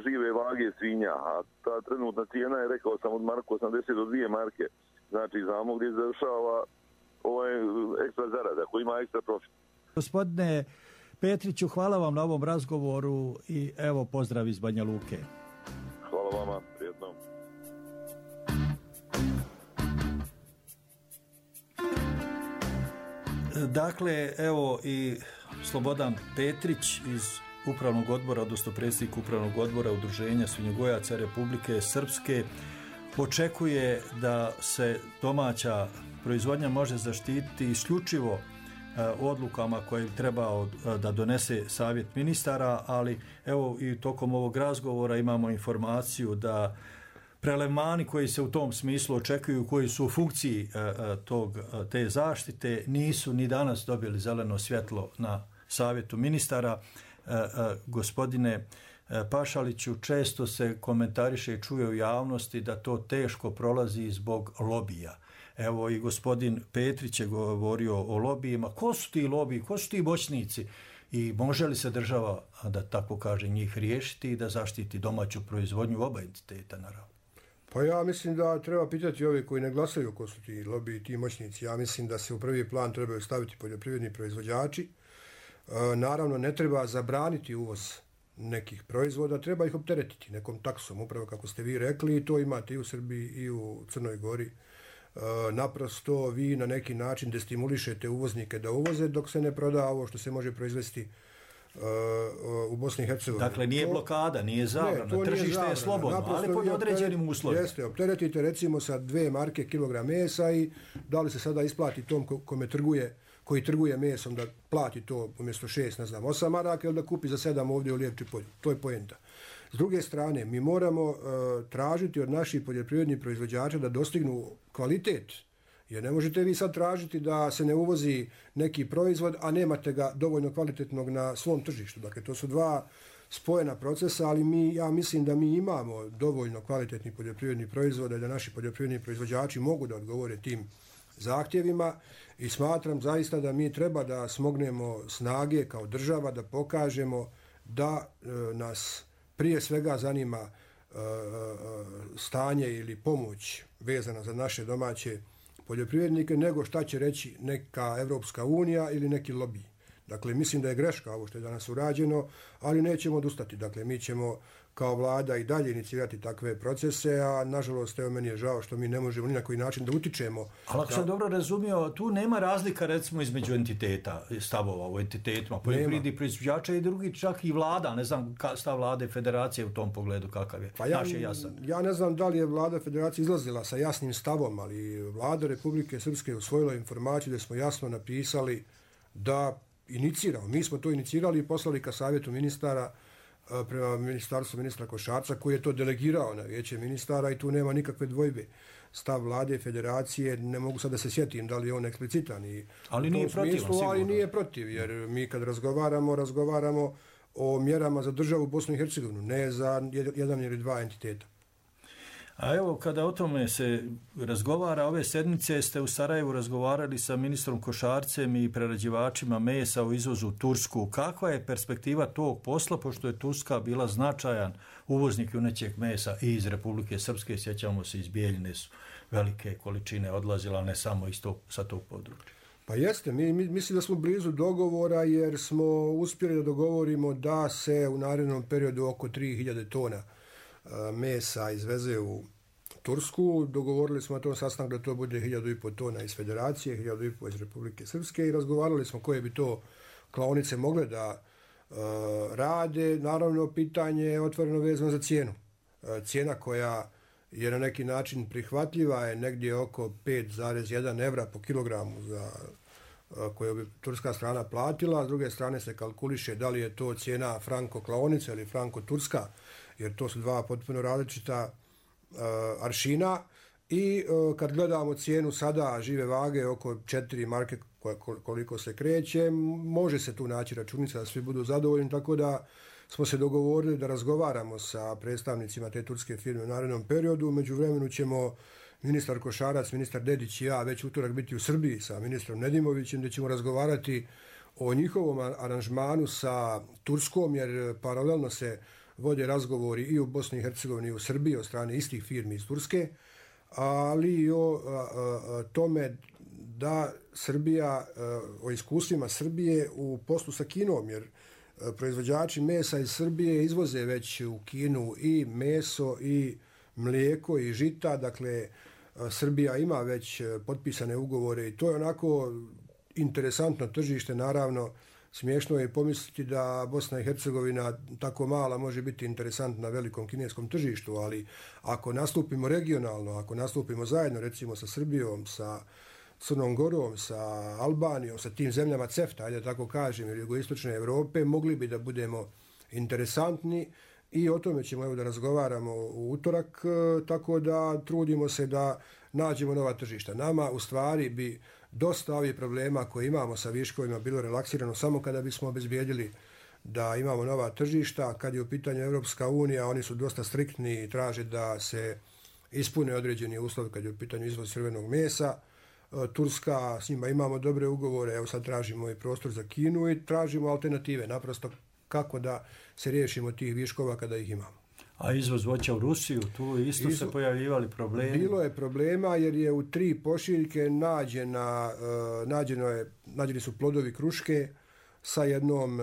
žive vage svinja, a ta trenutna cijena je, rekao sam, od marku 80 do 2 marke. Znači, znamo gdje završava ekstra zarada, koji ima ekstra profit. Gospodine Petriću, hvala vam na ovom razgovoru i evo pozdrav iz Banja Luke. Hvala vama, prijetno. Dakle, evo i Slobodan Petrić iz upravnog odbora, odnosno predsjednik upravnog odbora Udruženja svinjogojaca Republike Srpske, očekuje da se domaća proizvodnja može zaštititi isključivo odlukama koje bi trebao da donese savjet ministara, ali evo i tokom ovog razgovora imamo informaciju da prelevmani koji se u tom smislu očekuju, koji su u funkciji te zaštite, nisu ni danas dobili zeleno svjetlo na savjetu ministara. Gospodine Pašaliću, često se komentariše i čuje u javnosti da to teško prolazi zbog lobija. Evo i gospodin Petrić je govorio o lobijima. Ko su ti lobiji, ko su ti moćnici i može li se država, da tako kaže, njih riješiti i da zaštiti domaću proizvodnju oba entiteta, naravno? Pa ja mislim da treba pitati ove koji ne glasaju ko su ti lobiji, ti moćnici. Ja mislim da se u prvi plan trebaju staviti poljoprivredni proizvođači. Naravno, ne treba zabraniti uvoz nekih proizvoda, treba ih opteretiti nekom taksom, upravo kako ste vi rekli, i to imate i u Srbiji i u Crnoj Gori. Naprosto vi na neki način destimulišete uvoznike da uvoze dok se ne proda ovo što se može proizvesti u Bosni i Hercegovini. Dakle, nije blokada, nije zabrana, tržište je slobodno, naprosto, ali pod određenim uslovima. Jeste, opteretite recimo sa 2 marke kilogram mesa i da li se sada isplati tom koji trguje mesom da plati to umjesto 8 maraka ili da kupi za 7 ovdje u Lijepči polju. To je poenta. S druge strane, mi moramo tražiti od naših poljoprivrednih proizvođača da dostignu kvalitet. Jer ne možete vi sad tražiti da se ne uvozi neki proizvod, a nemate ga dovoljno kvalitetnog na svom tržištu. Dakle, to su dva spojena procesa, ali ja mislim da mi imamo dovoljno kvalitetnih poljoprivrednih proizvoda i da naši poljoprivredni proizvođači mogu da odgovore tim zahtjevima i smatram zaista da mi treba da smognemo snage kao država, da pokažemo da nas prije svega zanima stanje ili pomoć vezana za naše domaće poljoprivrednike, nego šta će reći neka Evropska unija ili neki lobiji. Dakle, mislim da je greška ovo što je danas urađeno, ali nećemo odustati. Dakle, mi ćemo kao vlada i dalje inicirati takve procese, a nažalost, evo meni je žao što mi ne možemo ni na koji način da utičemo. Ali ako sam dobro razumio, tu nema razlika recimo između entiteta, stavova u entitetima, poljoprivrednih proizvođača i drugi, čak i vlada, ne znam stav vlade federacije u tom pogledu kakav je. Pa naš je jasan. Ja ne znam da li je vlada federacije izlazila sa jasnim stavom, ali vlada Republike Srpske usvojila informaciju da smo jasno napisali da iniciramo. Mi smo to inicirali i poslali ka savjetu ministara prema ministarstvu ministra Košarca, koji je to delegirao na vijeće ministara i tu nema nikakve dvojbe. Stav vlade federacije, ne mogu sad da se sjetim da li je on eksplicitan. Ali nije protiv, sigurno. Ali nije protiv, jer mi kad razgovaramo o mjerama za državu Bosnu i Hercegovinu, ne za jedan ili dva entiteta. A evo, kada o tome se razgovara, ove sedmice ste u Sarajevu razgovarali sa ministrom Košarcem i prerađivačima mesa u izvozu u Tursku. Kakva je perspektiva tog posla, pošto je Turska bila značajan uvoznik junećeg mesa i iz Republike Srpske, sjećamo se, iz Bijeljine su velike količine odlazila, ne samo sa tog područja. Pa jeste, mi mislim da smo blizu dogovora jer smo uspjeli da dogovorimo da se u narednom periodu oko 3000 tona mesa izveze u Tursku. Dogovorili smo na tom sastanku da to bude 1500 tona iz Federacije, 1500 iz Republike Srpske i razgovarali smo koje bi to klaonice mogle da rade. Naravno, pitanje je otvoreno vezano za cijenu. Cijena koja je na neki način prihvatljiva je negdje oko 5,1 evra po kilogramu koju bi turska strana platila. S druge strane se kalkuliše da li je to cijena franko klaonica ili franko turska, jer to su dva potpuno različita aršina i kad gledamo cijenu sada žive vage oko 4 marke koliko se kreće, može se tu naći računica da svi budu zadovoljni, tako da smo se dogovorili da razgovaramo sa predstavnicima te turske firme u narednom periodu. U međuvremenu ćemo ministar Košarac, ministar Dedić i ja već utorak biti u Srbiji sa ministrom Nedimovićem, gdje ćemo razgovarati o njihovom aranžmanu sa Turskom, jer paralelno se vode razgovori i u Bosni i Hercegovini i u Srbiji od strane istih firmi iz Turske, ali i o tome da Srbija, o iskustvima Srbije u poslu sa Kinom, jer proizvođači mesa iz Srbije izvoze već u Kinu i meso i mlijeko i žita, dakle Srbija ima već potpisane ugovore i to je onako interesantno tržište, naravno Smiješno je pomisliti da Bosna i Hercegovina tako mala može biti interesantna na velikom kineskom tržištu, ali ako nastupimo regionalno, ako nastupimo zajedno recimo sa Srbijom, sa Crnom Gorom, sa Albanijom, sa tim zemljama CEFTA, ajde tako kažem, ili jugoistočne Evrope, mogli bi da budemo interesantni i o tome ćemo evo da razgovaramo u utorak, tako da trudimo se da nađemo nova tržišta. Nama u stvari bi dosta ovih problema koje imamo sa viškovima bilo relaksirano samo kada bismo obezbijedili da imamo nova tržišta. Kad je u pitanju Evropska unija, oni su dosta striktni i traže da se ispune određeni uslovi kad je u pitanju izvoz crvenog mesa. Turska, s njima imamo dobre ugovore, evo sad tražimo i prostor za Kinu i tražimo alternative, naprosto kako da se riješimo tih viškova kada ih imamo. A izvoz voća u Rusiju, tu isto se pojavljivali problemi? Bilo je problema jer je u 3 pošiljke nađeni su plodovi kruške sa jednom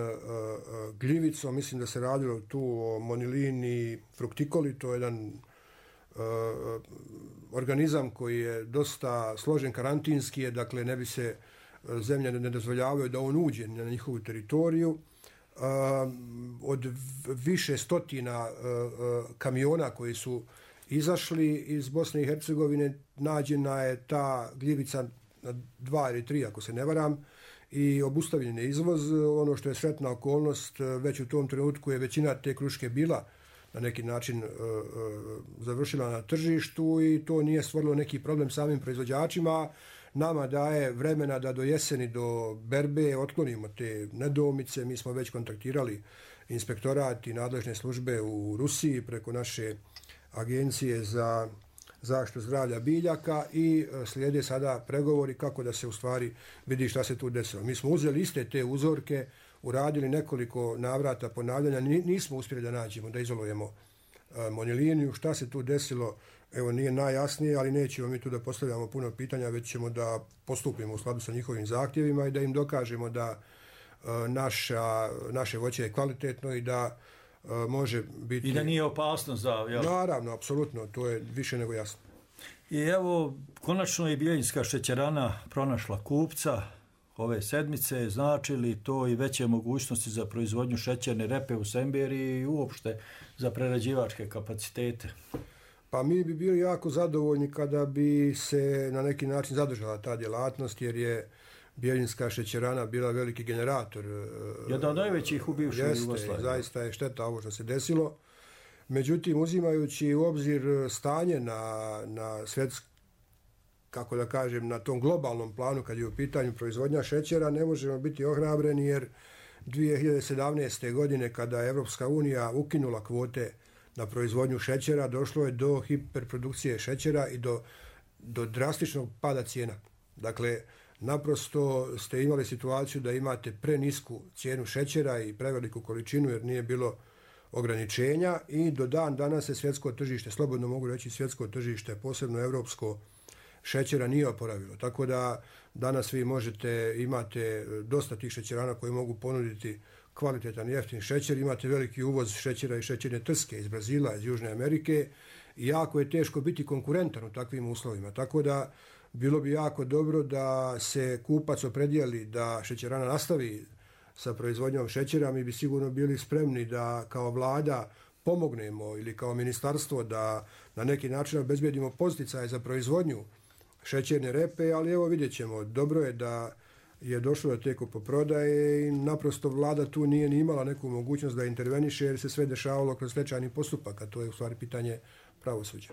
gljivicom, mislim da se radilo tu o Monilini fructicoli, to je jedan organizam koji je dosta složen, karantinski je, dakle ne bi se zemlje ne dozvoljavaju da on uđe na njihovu teritoriju. Od više stotina kamiona koji su izašli iz Bosne i Hercegovine nađena je ta gljivica na 2 ili 3 ako se ne varam i obustavljen je izvoz. Ono što je sretna okolnost, već u tom trenutku je većina te kruške bila na neki način završila na tržištu i to nije stvorilo neki problem samim proizvođačima. Nama daje vremena da do jeseni, do berbe otklonimo te nedoumice. Mi smo već kontaktirali inspektorat i nadležne službe u Rusiji preko naše agencije za zaštitu zdravlja biljaka i slijede sada pregovori kako da se u stvari vidi šta se tu desilo. Mi smo uzeli iste te uzorke, uradili nekoliko navrata ponavljanja, nismo uspjeli da nađemo, da izolujemo Moniliniju. Šta se tu desilo, evo nije najjasnije, ali nećemo mi tu da postavljamo puno pitanja, već ćemo da postupimo u skladu sa njihovim zahtjevima i da im dokažemo da naše voće je kvalitetno i da može biti... I da nije opasno za... Jel? Naravno, apsolutno, to je više nego jasno. I evo, konačno je Bjeljinska šećerana pronašla kupca ove sedmice, znači li to i veće mogućnosti za proizvodnju šećerne repe u Semberiji i uopšte za prerađivačke kapacitete? Pa mi bi bili jako zadovoljni kada bi se na neki način zadržala ta djelatnost, jer je Bjeljinska šećerana bila veliki generator. Jedan od najvećih u bivšoj Jugoslaviji. Zaista je šteta ovo što se desilo. Međutim, uzimajući u obzir stanje na kako da kažem, na tom globalnom planu kad je u pitanju proizvodnja šećera, ne možemo biti ohrabreni jer 2017. godine kada je Evropska unija ukinula kvote na proizvodnju šećera, došlo je do hiperprodukcije šećera i do drastičnog pada cijena. Dakle, naprosto ste imali situaciju da imate prenisku cijenu šećera i preveliku količinu jer nije bilo ograničenja i do dan danas se svjetsko tržište, slobodno mogu reći svjetsko tržište, posebno evropsko, šećera nije oporavilo. Tako da danas vi imate dosta tih šećerana koji mogu ponuditi kvalitetan i jeftin šećer, imate veliki uvoz šećera i šećerne trske iz Brazila, iz Južne Amerike i jako je teško biti konkurentan u takvim uslovima. Tako da bilo bi jako dobro da se kupac opredijeli da šećerana nastavi sa proizvodnjom šećera. Mi bi sigurno bili spremni da kao vlada pomognemo ili kao ministarstvo da na neki način obezbedimo poticaje za proizvodnju šećerne repe, ali evo vidjet ćemo. Dobro je da je došlo do te kupoprodaje i naprosto vlada tu nije ni imala neku mogućnost da interveniše jer se sve dešavalo kroz stečajni postupak, a to je u stvari pitanje pravosuđa.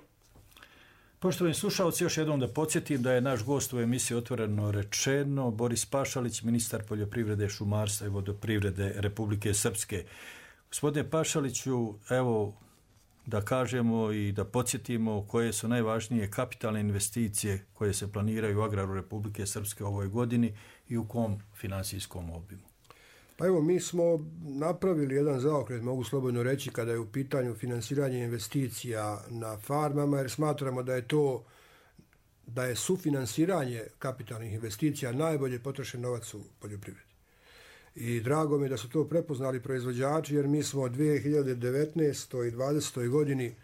Poštovani slušalci, još jednom da podsjetim da je naš gost u emisiji Otvoreno rečeno Boris Pašalić, ministar poljoprivrede, šumarstva i vodoprivrede Republike Srpske. Gospodine Pašaliću, evo da kažemo i da podsjetimo koje su najvažnije kapitalne investicije koje se planiraju u agraru Republike Srpske u ovoj godini i u kom finansijskom obimu. Pa evo, mi smo napravili jedan zaokret, mogu slobodno reći, kada je u pitanju finansiranje investicija na farmama, jer smatramo da je sufinansiranje kapitalnih investicija najbolje potrošen novac u poljoprivredi. I drago mi je da su to prepoznali proizvođači, jer mi smo 2019. i 2020. godini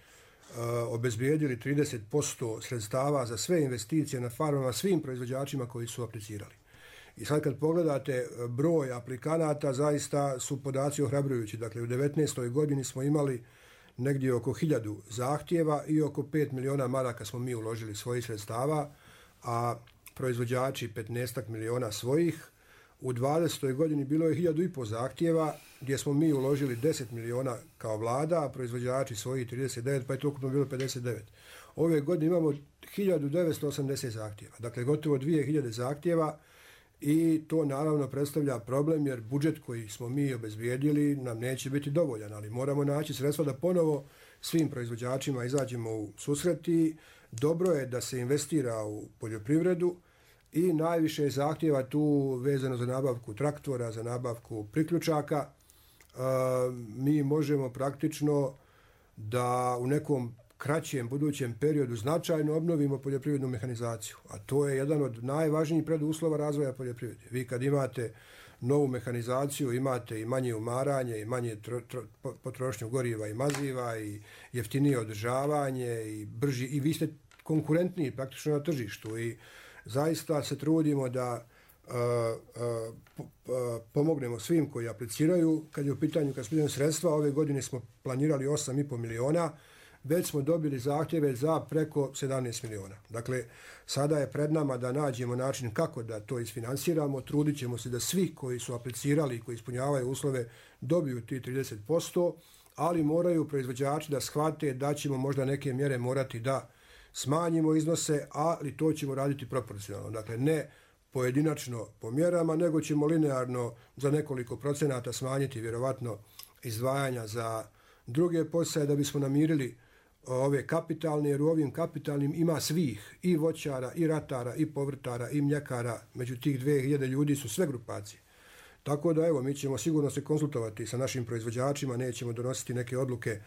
obezbijedili 30% sredstava za sve investicije na farmama svim proizvođačima koji su aplicirali. I sad kad pogledate broj aplikanata, zaista su podaci ohrabrujući. Dakle, u 19. godini smo imali negdje oko 1000 zahtjeva i oko 5 miliona maraka smo mi uložili svojih sredstava, a proizvođači 15 miliona svojih. U 20. godini bilo je 1500 zahtjeva gdje smo mi uložili 10 miliona kao vlada, a proizvođači svojih 39, pa je to ukupno bilo 59. Ove godine imamo 1980 zahtjeva, dakle gotovo 2000 zahtjeva i to naravno predstavlja problem jer budžet koji smo mi obezbijedili nam neće biti dovoljan, ali moramo naći sredstva da ponovo svim proizvođačima izađemo u susret i dobro je da se investira u poljoprivredu i najviše zahtjeva tu vezano za nabavku traktora, za nabavku priključaka. Mi možemo praktično da u nekom kraćem budućem periodu značajno obnovimo poljoprivrednu mehanizaciju, a to je jedan od najvažnijih preduslova razvoja poljoprivrede. Vi kad imate novu mehanizaciju, imate i manje umaranje, i manje potrošnju goriva i maziva, i jeftinije održavanje, i brži, i vi ste konkurentniji praktično na tržištu i zaista se trudimo da pomognemo svim koji apliciraju. Kad je u pitanju sredstva, ove godine smo planirali 8,5 miliona, već smo dobili zahtjeve za preko 17 miliona. Dakle, sada je pred nama da nađemo način kako da to isfinansiramo. Trudit ćemo se da svi koji su aplicirali i koji ispunjavaju uslove dobiju ti 30%, ali moraju proizvođači da shvate da ćemo možda neke mjere morati da smanjimo iznose, ali to ćemo raditi proporcionalno. Dakle, ne pojedinačno po mjerama, nego ćemo linearno za nekoliko procenata smanjiti vjerovatno izdvajanja za druge poticaje da bismo namirili ove kapitalne, jer u ovim kapitalnim ima svih, i voćara, i ratara, i povrtara, i mljekara. Među tih 2000 ljudi su sve grupacije. Tako da, evo, mi ćemo sigurno se konsultovati sa našim proizvođačima, nećemo donositi neke odluke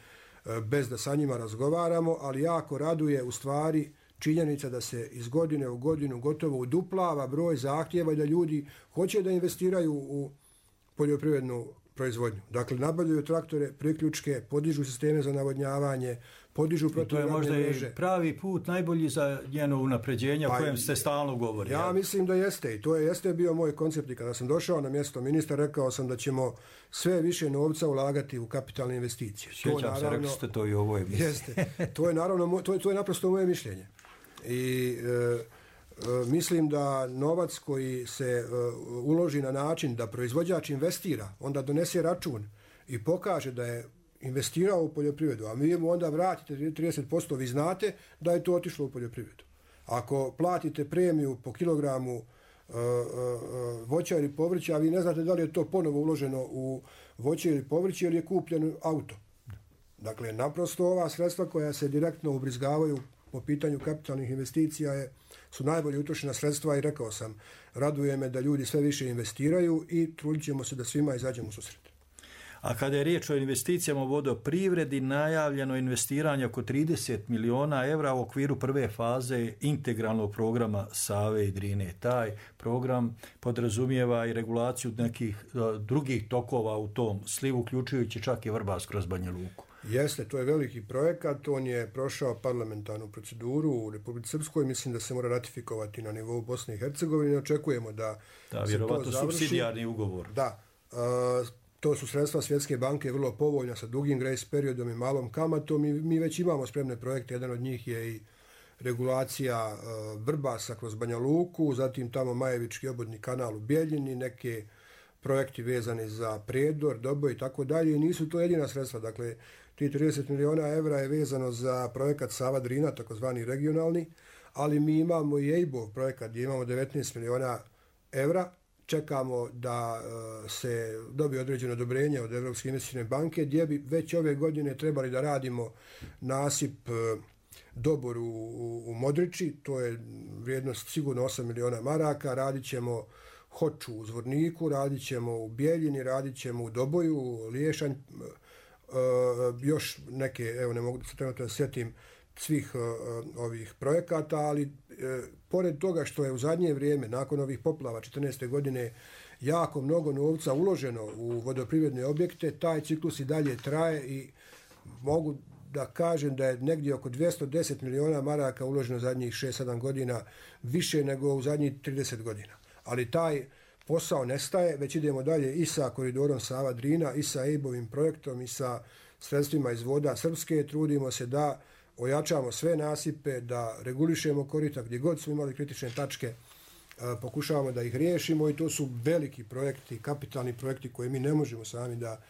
bez da sa njima razgovaramo, ali jako raduje u stvari činjenica da se iz godine u godinu gotovo uduplava broj zahtjeva i da ljudi hoće da investiraju u poljoprivrednu proizvodnju. Dakle, nabavljaju traktore, priključke, podižu sisteme za navodnjavanje, podižu protivgradne mreže. To je možda i pravi put, najbolji za njeno unapređenje o kojem ste stalno govorili. Ja mislim da jeste i to jeste bio moj koncept. I kada sam došao na mjesto ministra, rekao sam da ćemo sve više novca ulagati u kapitalne investicije. Sjećam se, rekli ste to i ovo emisiji. Jeste. To je naravno, to je naprosto moje mišljenje. I mislim da novac koji se uloži na način da proizvođač investira, onda donese račun i pokaže da je investirao u poljoprivredu, a mi mu onda vratite 30%, vi znate da je to otišlo u poljoprivredu. Ako platite premiju po kilogramu voća ili povrća, a vi ne znate da li je to ponovo uloženo u voće ili povrće ili je kupljeno auto. Dakle, naprosto ova sredstva koja se direktno ubrizgavaju po pitanju kapitalnih investicija su najbolje utrošena sredstva i rekao sam, raduje me da ljudi sve više investiraju i trudit ćemo se da svima izađemo u susret. A kada je riječ o investicijama u vodoprivredi, najavljeno investiranje oko 30 miliona evra u okviru prve faze integralnog programa Save i Drine. Taj program podrazumijeva i regulaciju nekih drugih tokova u tom slivu, uključujući čak i Vrbas kroz Banja Luku. Jeste, to je veliki projekat, on je prošao parlamentarnu proceduru u Republici Srpskoj, mislim da se mora ratifikovati na nivou Bosne i Hercegovine, očekujemo da se to završi. Supsidijarni ugovor. Da, to su sredstva Svjetske banke vrlo povoljna sa dugim grace periodom i malom kamatom i mi već imamo spremne projekte, jedan od njih je i regulacija Vrbasa kroz Banja Luku, zatim tamo Majevički obodni kanal u Bijeljini, neke projekti vezani za Prijedor, Doboj i tako dalje i nisu to jedina sredstva, dakle ti 30 miliona evra je vezano za projekat Sava Drina, takozvani regionalni, ali mi imamo i EIB-ov projekat gdje imamo 19 miliona evra, čekamo da se dobije određeno odobrenje od Evropske investicijske banke gdje bi već ove godine trebali da radimo nasip Dobor u Modriči, to je vrijednost sigurno 8 miliona maraka, radit ćemo Hoču u Zvorniku, radit ćemo u Bijeljini, radit ćemo u Doboju, Liješanj, još neke, evo ne mogu se trenutno sjetim svih ovih projekata, ali pored toga što je u zadnje vrijeme, nakon ovih poplava 14. godine, jako mnogo novca uloženo u vodoprivredne objekte, taj ciklus i dalje traje i mogu da kažem da je negdje oko 210 miliona maraka uloženo zadnjih 6-7 godina, više nego u zadnjih 30 godina. ali taj posao nestaje, već idemo dalje i sa koridorom Sava-Drina, i sa EIB-ovim projektom, i sa sredstvima iz voda Srpske. Trudimo se da ojačamo sve nasipe, da regulišemo korita gdje god su imali kritične tačke, pokušavamo da ih riješimo i to su veliki projekti, kapitalni projekti koje mi ne možemo sami da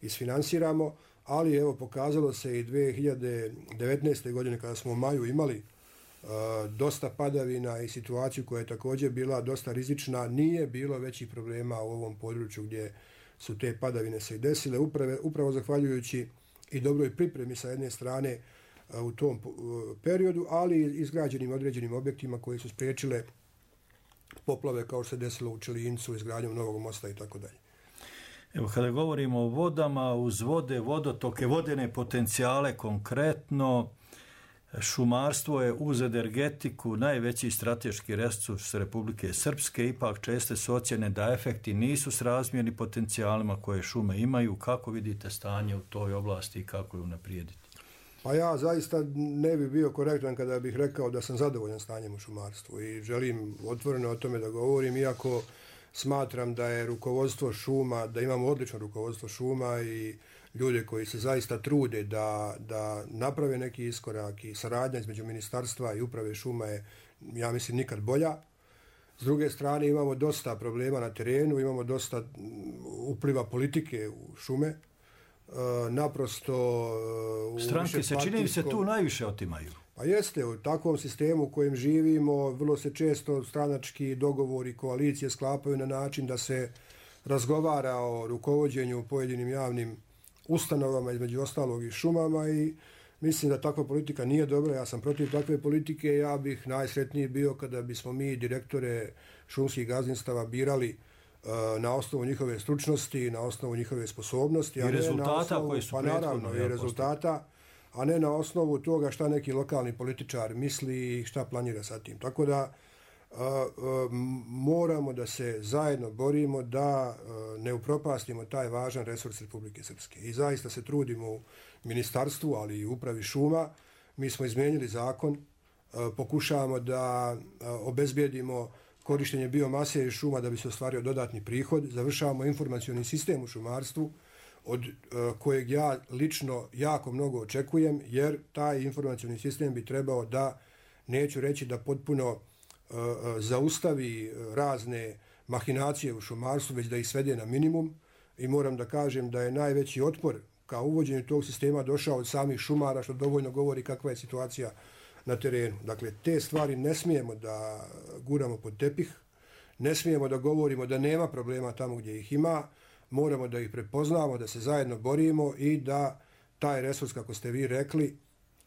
isfinansiramo, ali evo pokazalo se i 2019. godine kada smo u maju imali dosta padavina i situaciju koja je također bila dosta rizična, nije bilo većih problema u ovom području gdje su te padavine se i desile, upravo zahvaljujući i dobroj pripremi sa jedne strane u tom periodu, ali izgrađenim određenim objektima koji su spriječile poplave kao što se desilo u Čelincu, izgradnjom novog mosta i tako dalje. Evo, kada govorimo o vodama, uz vode, vodotoke, vodene potencijale konkretno, šumarstvo je uz energetiku najveći strateški resurs Republike Srpske, ipak česte su ocjene da efekti nisu srazmjerni potencijalima koje šume imaju. Kako vidite stanje u toj oblasti i kako je unaprijediti? Pa ja zaista ne bih bio korektan kada bih rekao da sam zadovoljan stanjem u šumarstvu i želim otvoreno o tome da govorim, iako smatram da je rukovodstvo šuma, da imamo odlično rukovodstvo šuma i ljude koji se zaista trude da naprave neki iskorak i saradnja između ministarstva i uprave šuma je, ja mislim, nikad bolja. S druge strane imamo dosta problema na terenu, imamo dosta upliva politike u šume. Naprosto stranke se čini se tu najviše otimaju. Pa jeste, u takvom sistemu u kojem živimo vrlo se često stranački dogovori, koalicije sklapaju na način da se razgovara o rukovođenju pojedinim javnim ustanovama, između ostalog i šumama, i mislim da takva politika nije dobra. Ja sam protiv takve politike. Ja bih najsretniji bio kada bismo mi direktore šumskih gazdinstava birali na osnovu njihove stručnosti, na osnovu njihove sposobnosti, i rezultata koji su prethodno i rezultata, a ne na osnovu toga šta neki lokalni političar misli i šta planira sa tim. Tako da moramo da se zajedno borimo da ne upropastimo taj važan resurs Republike Srpske. I zaista se trudimo u ministarstvu, ali i upravi šuma. Mi smo izmijenili zakon, pokušavamo da obezbijedimo korištenje biomase i šuma da bi se ostvario dodatni prihod. Završavamo informacioni sistem u šumarstvu od kojeg ja lično jako mnogo očekujem, jer taj informacioni sistem bi trebao da, neću reći da potpuno zaustavi razne mahinacije u šumarstvu, već da ih svede na minimum, i moram da kažem da je najveći otpor ka uvođenju tog sistema došao od samih šumara, što dovoljno govori kakva je situacija na terenu. Dakle, te stvari ne smijemo da guramo pod tepih, ne smijemo da govorimo da nema problema tamo gdje ih ima, moramo da ih prepoznamo, da se zajedno borimo i da taj resurs, kako ste vi rekli,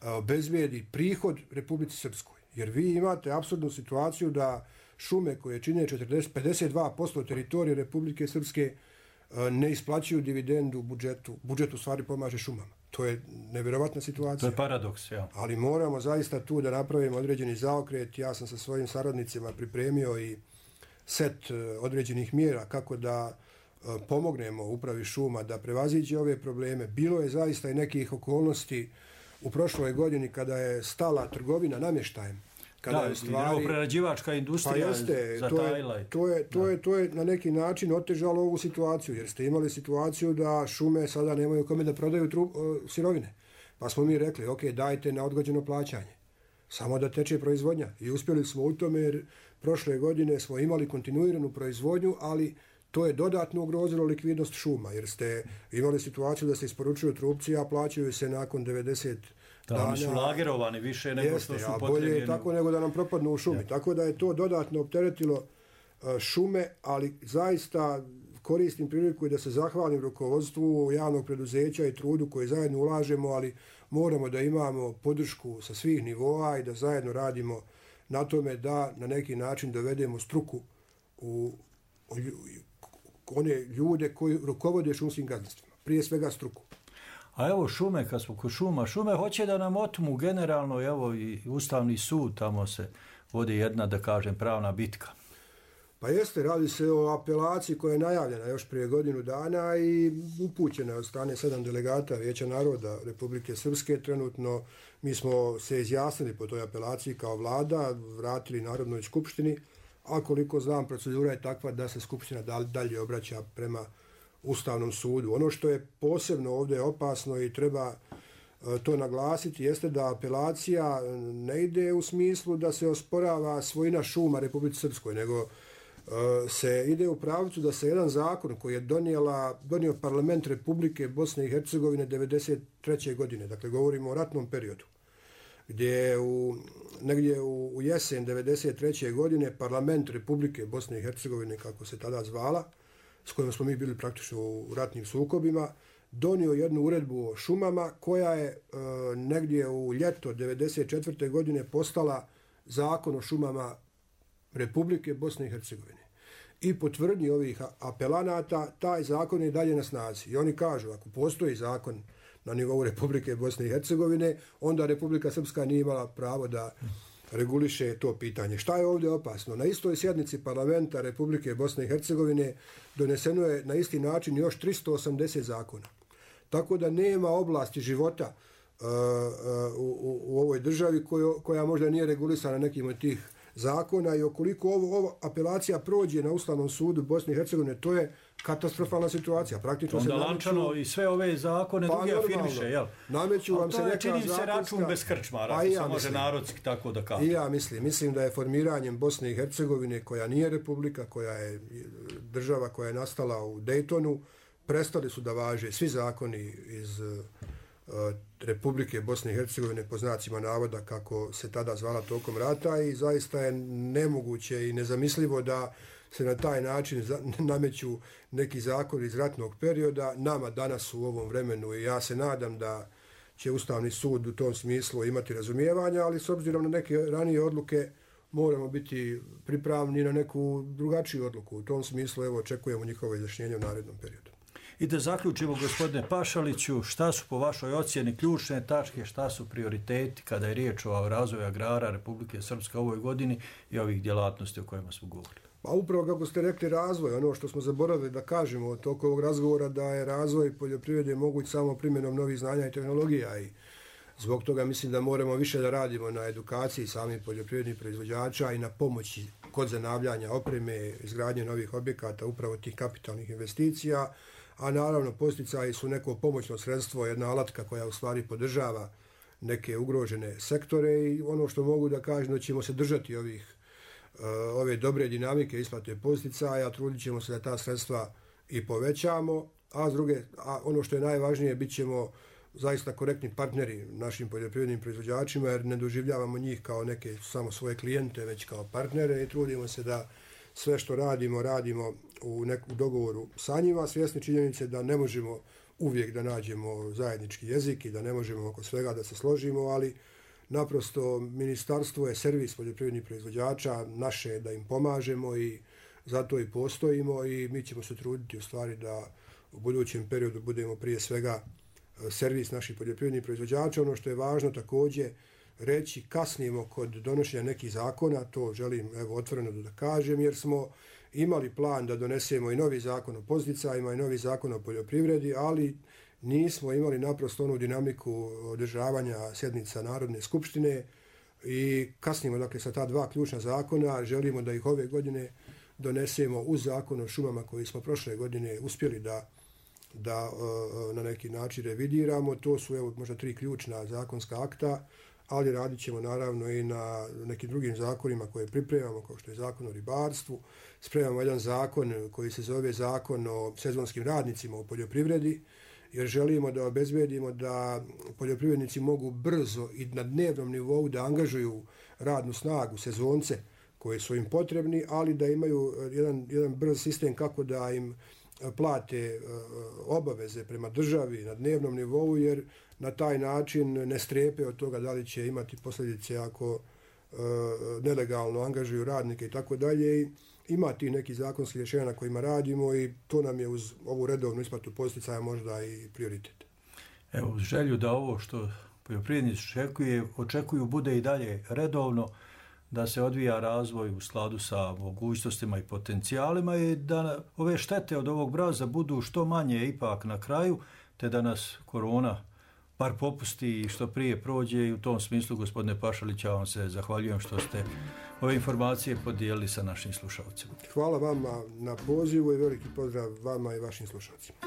obezbijedi prihod Republici Srpskoj. Jer vi imate apsurdnu situaciju da šume koje čine 52% teritorije Republike Srpske ne isplaćuju dividendu budžetu. Budžet u stvari pomaže šumama. To je nevjerovatna situacija. To je paradoks, ja. Ali moramo zaista tu da napravimo određeni zaokret. Ja sam sa svojim saradnicima pripremio i set određenih mjera kako da pomognemo upravi šuma da prevaziđe ove probleme. Bilo je zaista i nekih okolnosti u prošloj godini kada je stala trgovina namještajem. Kada je stvari prerađivačka industrija, pa jeste, zatajila. To je na neki način otežalo ovu situaciju, jer ste imali situaciju da šume sada nemaju kome da prodaju sirovine. Pa smo mi rekli, ok, dajte na odgođeno plaćanje, samo da teče proizvodnja. I uspjeli smo u tome, jer prošle godine smo imali kontinuiranu proizvodnju, ali to je dodatno ugrozilo likvidnost šuma, jer ste imali situaciju da se isporučuju trupci, a plaćaju se nakon 90 dana. Oni su lagerovani više nego što su potrebljeni. Bolje je tako nego da nam propadnu u šumi. Tako da je to dodatno opteretilo šume, ali zaista koristim priliku i da se zahvalim rukovodstvu javnog preduzeća i trudu koji zajedno ulažemo, ali moramo da imamo podršku sa svih nivoa i da zajedno radimo na tome da na neki način dovedemo struku u one ljude koji rukovode šumskim gazdinstvima, prije svega struku. A evo šume, kad smo kod šume hoće da nam otmu generalno, evo i Ustavni sud, tamo se vodi jedna, da kažem, pravna bitka. Pa jeste, radi se o apelaciji koja je najavljena još prije godinu dana i upućena od strane 7 delegata Vijeća naroda Republike Srpske. Trenutno mi smo se izjasnili po toj apelaciji kao vlada, vratili Narodnoj skupštini a koliko znam procedura je takva da se Skupština dalje obraća prema Ustavnom sudu. Ono što je posebno ovdje opasno i treba to naglasiti jeste da apelacija ne ide u smislu da se osporava svojina šuma Republici Srpskoj, nego se ide u pravcu da se jedan zakon koji je donio parlament Republike Bosne i Hercegovine 1993. godine, dakle govorimo o ratnom periodu, gdje je negdje u jesen 1993. godine parlament Republike Bosne i Hercegovine, kako se tada zvala, s kojom smo mi bili praktično u ratnim sukobima, donio jednu uredbu o šumama koja je negdje u ljeto 1994. godine postala zakon o šumama Republike Bosne i Hercegovine. I po tvrdnji ovih apelanata, taj zakon je dalje na snazi. I oni kažu, ako postoji zakon na nivou Republike Bosne i Hercegovine, onda Republika Srpska nije imala pravo da reguliše to pitanje. Šta je ovdje opasno? Na istoj sjednici parlamenta Republike Bosne i Hercegovine doneseno je na isti način još 380 zakona. Tako da nema oblasti života u ovoj državi koja možda nije regulisana nekim od tih zakona i okoliko ovo apelacija prođe na Ustavnom sudu Bosne i Hercegovine, to je katastrofalna situacija. Praktično onda Lančano i sve ove zakone drugi afirmiše, jel? Nameću vam se neka čini se račun bez krčmara, ako se može narodski tako da kaže. I ja mislim da je formiranjem Bosne i Hercegovine, koja nije republika, koja je država koja je nastala u Dejtonu, prestali su da važe svi zakoni iz Republike Bosne i Hercegovine po znacima navoda kako se tada zvala tokom rata i zaista je nemoguće i nezamislivo da se na taj način nameću neki zakon iz ratnog perioda nama danas u ovom vremenu i ja se nadam da će Ustavni sud u tom smislu imati razumijevanja, ali s obzirom na neke ranije odluke moramo biti pripravni na neku drugačiju odluku. U tom smislu evo očekujemo njihovo izjašnjenje u narednom periodu. I da zaključimo, gospodine Pašaliću, šta su po vašoj ocjeni ključne tačke, šta su prioriteti kada je riječ o razvoju agrara Republike Srpske u ovoj godini i ovih djelatnosti o kojima smo govorili? Pa upravo kako ste rekli razvoj, ono što smo zaboravili da kažemo od toga ovog razgovora da je razvoj poljoprivrede moguć samo primjenom novih znanja i tehnologija i zbog toga mislim da moramo više da radimo na edukaciji samih poljoprivrednih proizvođača i na pomoći kod zanavljanja opreme, izgradnje novih objekata, upravo tih kapitalnih investicija, a naravno posticaji su neko pomoćno sredstvo, jedna alatka koja u stvari podržava neke ugrožene sektore i ono što mogu da kažem da ćemo se držati ove dobre dinamike isplate posticaja, trudit ćemo se da ta sredstva i povećamo, a ono što je najvažnije, bit ćemo zaista korektni partneri našim poljoprivrednim proizvođačima jer ne doživljavamo njih kao neke samo svoje klijente, već kao partnere i trudimo se da sve što radimo u dogovoru sa njima, svjesni činjenice da ne možemo uvijek da nađemo zajednički jezik i da ne možemo oko svega da se složimo, ali naprosto ministarstvo je servis poljoprivrednih proizvođača, naše je da im pomažemo i zato i postojimo i mi ćemo se truditi u stvari da u budućem periodu budemo prije svega servis naših poljoprivrednih proizvođača. Ono što je važno također reći, kasnimo kod donošenja nekih zakona, to želim otvoreno da kažem, jer smo imali plan da donesemo i novi zakon o podsticajima i novi zakon o poljoprivredi, ali nismo imali naprosto onu dinamiku održavanja sjednica Narodne skupštine i kasnimo dakle sa ta dva ključna zakona, želimo da ih ove godine donesemo uz zakon o šumama koji smo prošle godine uspjeli da na neki način revidiramo. To su možda 3 ključna zakonska akta, ali radit ćemo naravno i na nekim drugim zakonima koje pripremamo, kao što je zakon o ribarstvu. Spremamo jedan zakon koji se zove zakon o sezonskim radnicima u poljoprivredi, jer želimo da obezbedimo da poljoprivrednici mogu brzo i na dnevnom nivou da angažuju radnu snagu, sezonce koji su im potrebni, ali da imaju jedan brz sistem kako da im plate obaveze prema državi na dnevnom nivou, jer na taj način ne strepe od toga da li će imati posljedice ako nelegalno angažuju radnike i tako dalje. Ima ti neki zakonski rješenja na kojima radimo i to nam je uz ovu redovnu isplatu posticaja možda i prioritet. Evo, uz želju da ovo što poljoprivrednici očekuju bude i dalje redovno, da se odvija razvoj u skladu sa mogućnostima i potencijalima i da ove štete od ovog mraza budu što manje ipak na kraju, te da nas korona par popusti i što prije prođe i u tom smislu, gospodine Pašalić, ja vam se zahvaljujem što ste ove informacije podijelili sa našim slušalcima. Hvala vama na pozivu i veliki pozdrav vama i vašim slušalcima.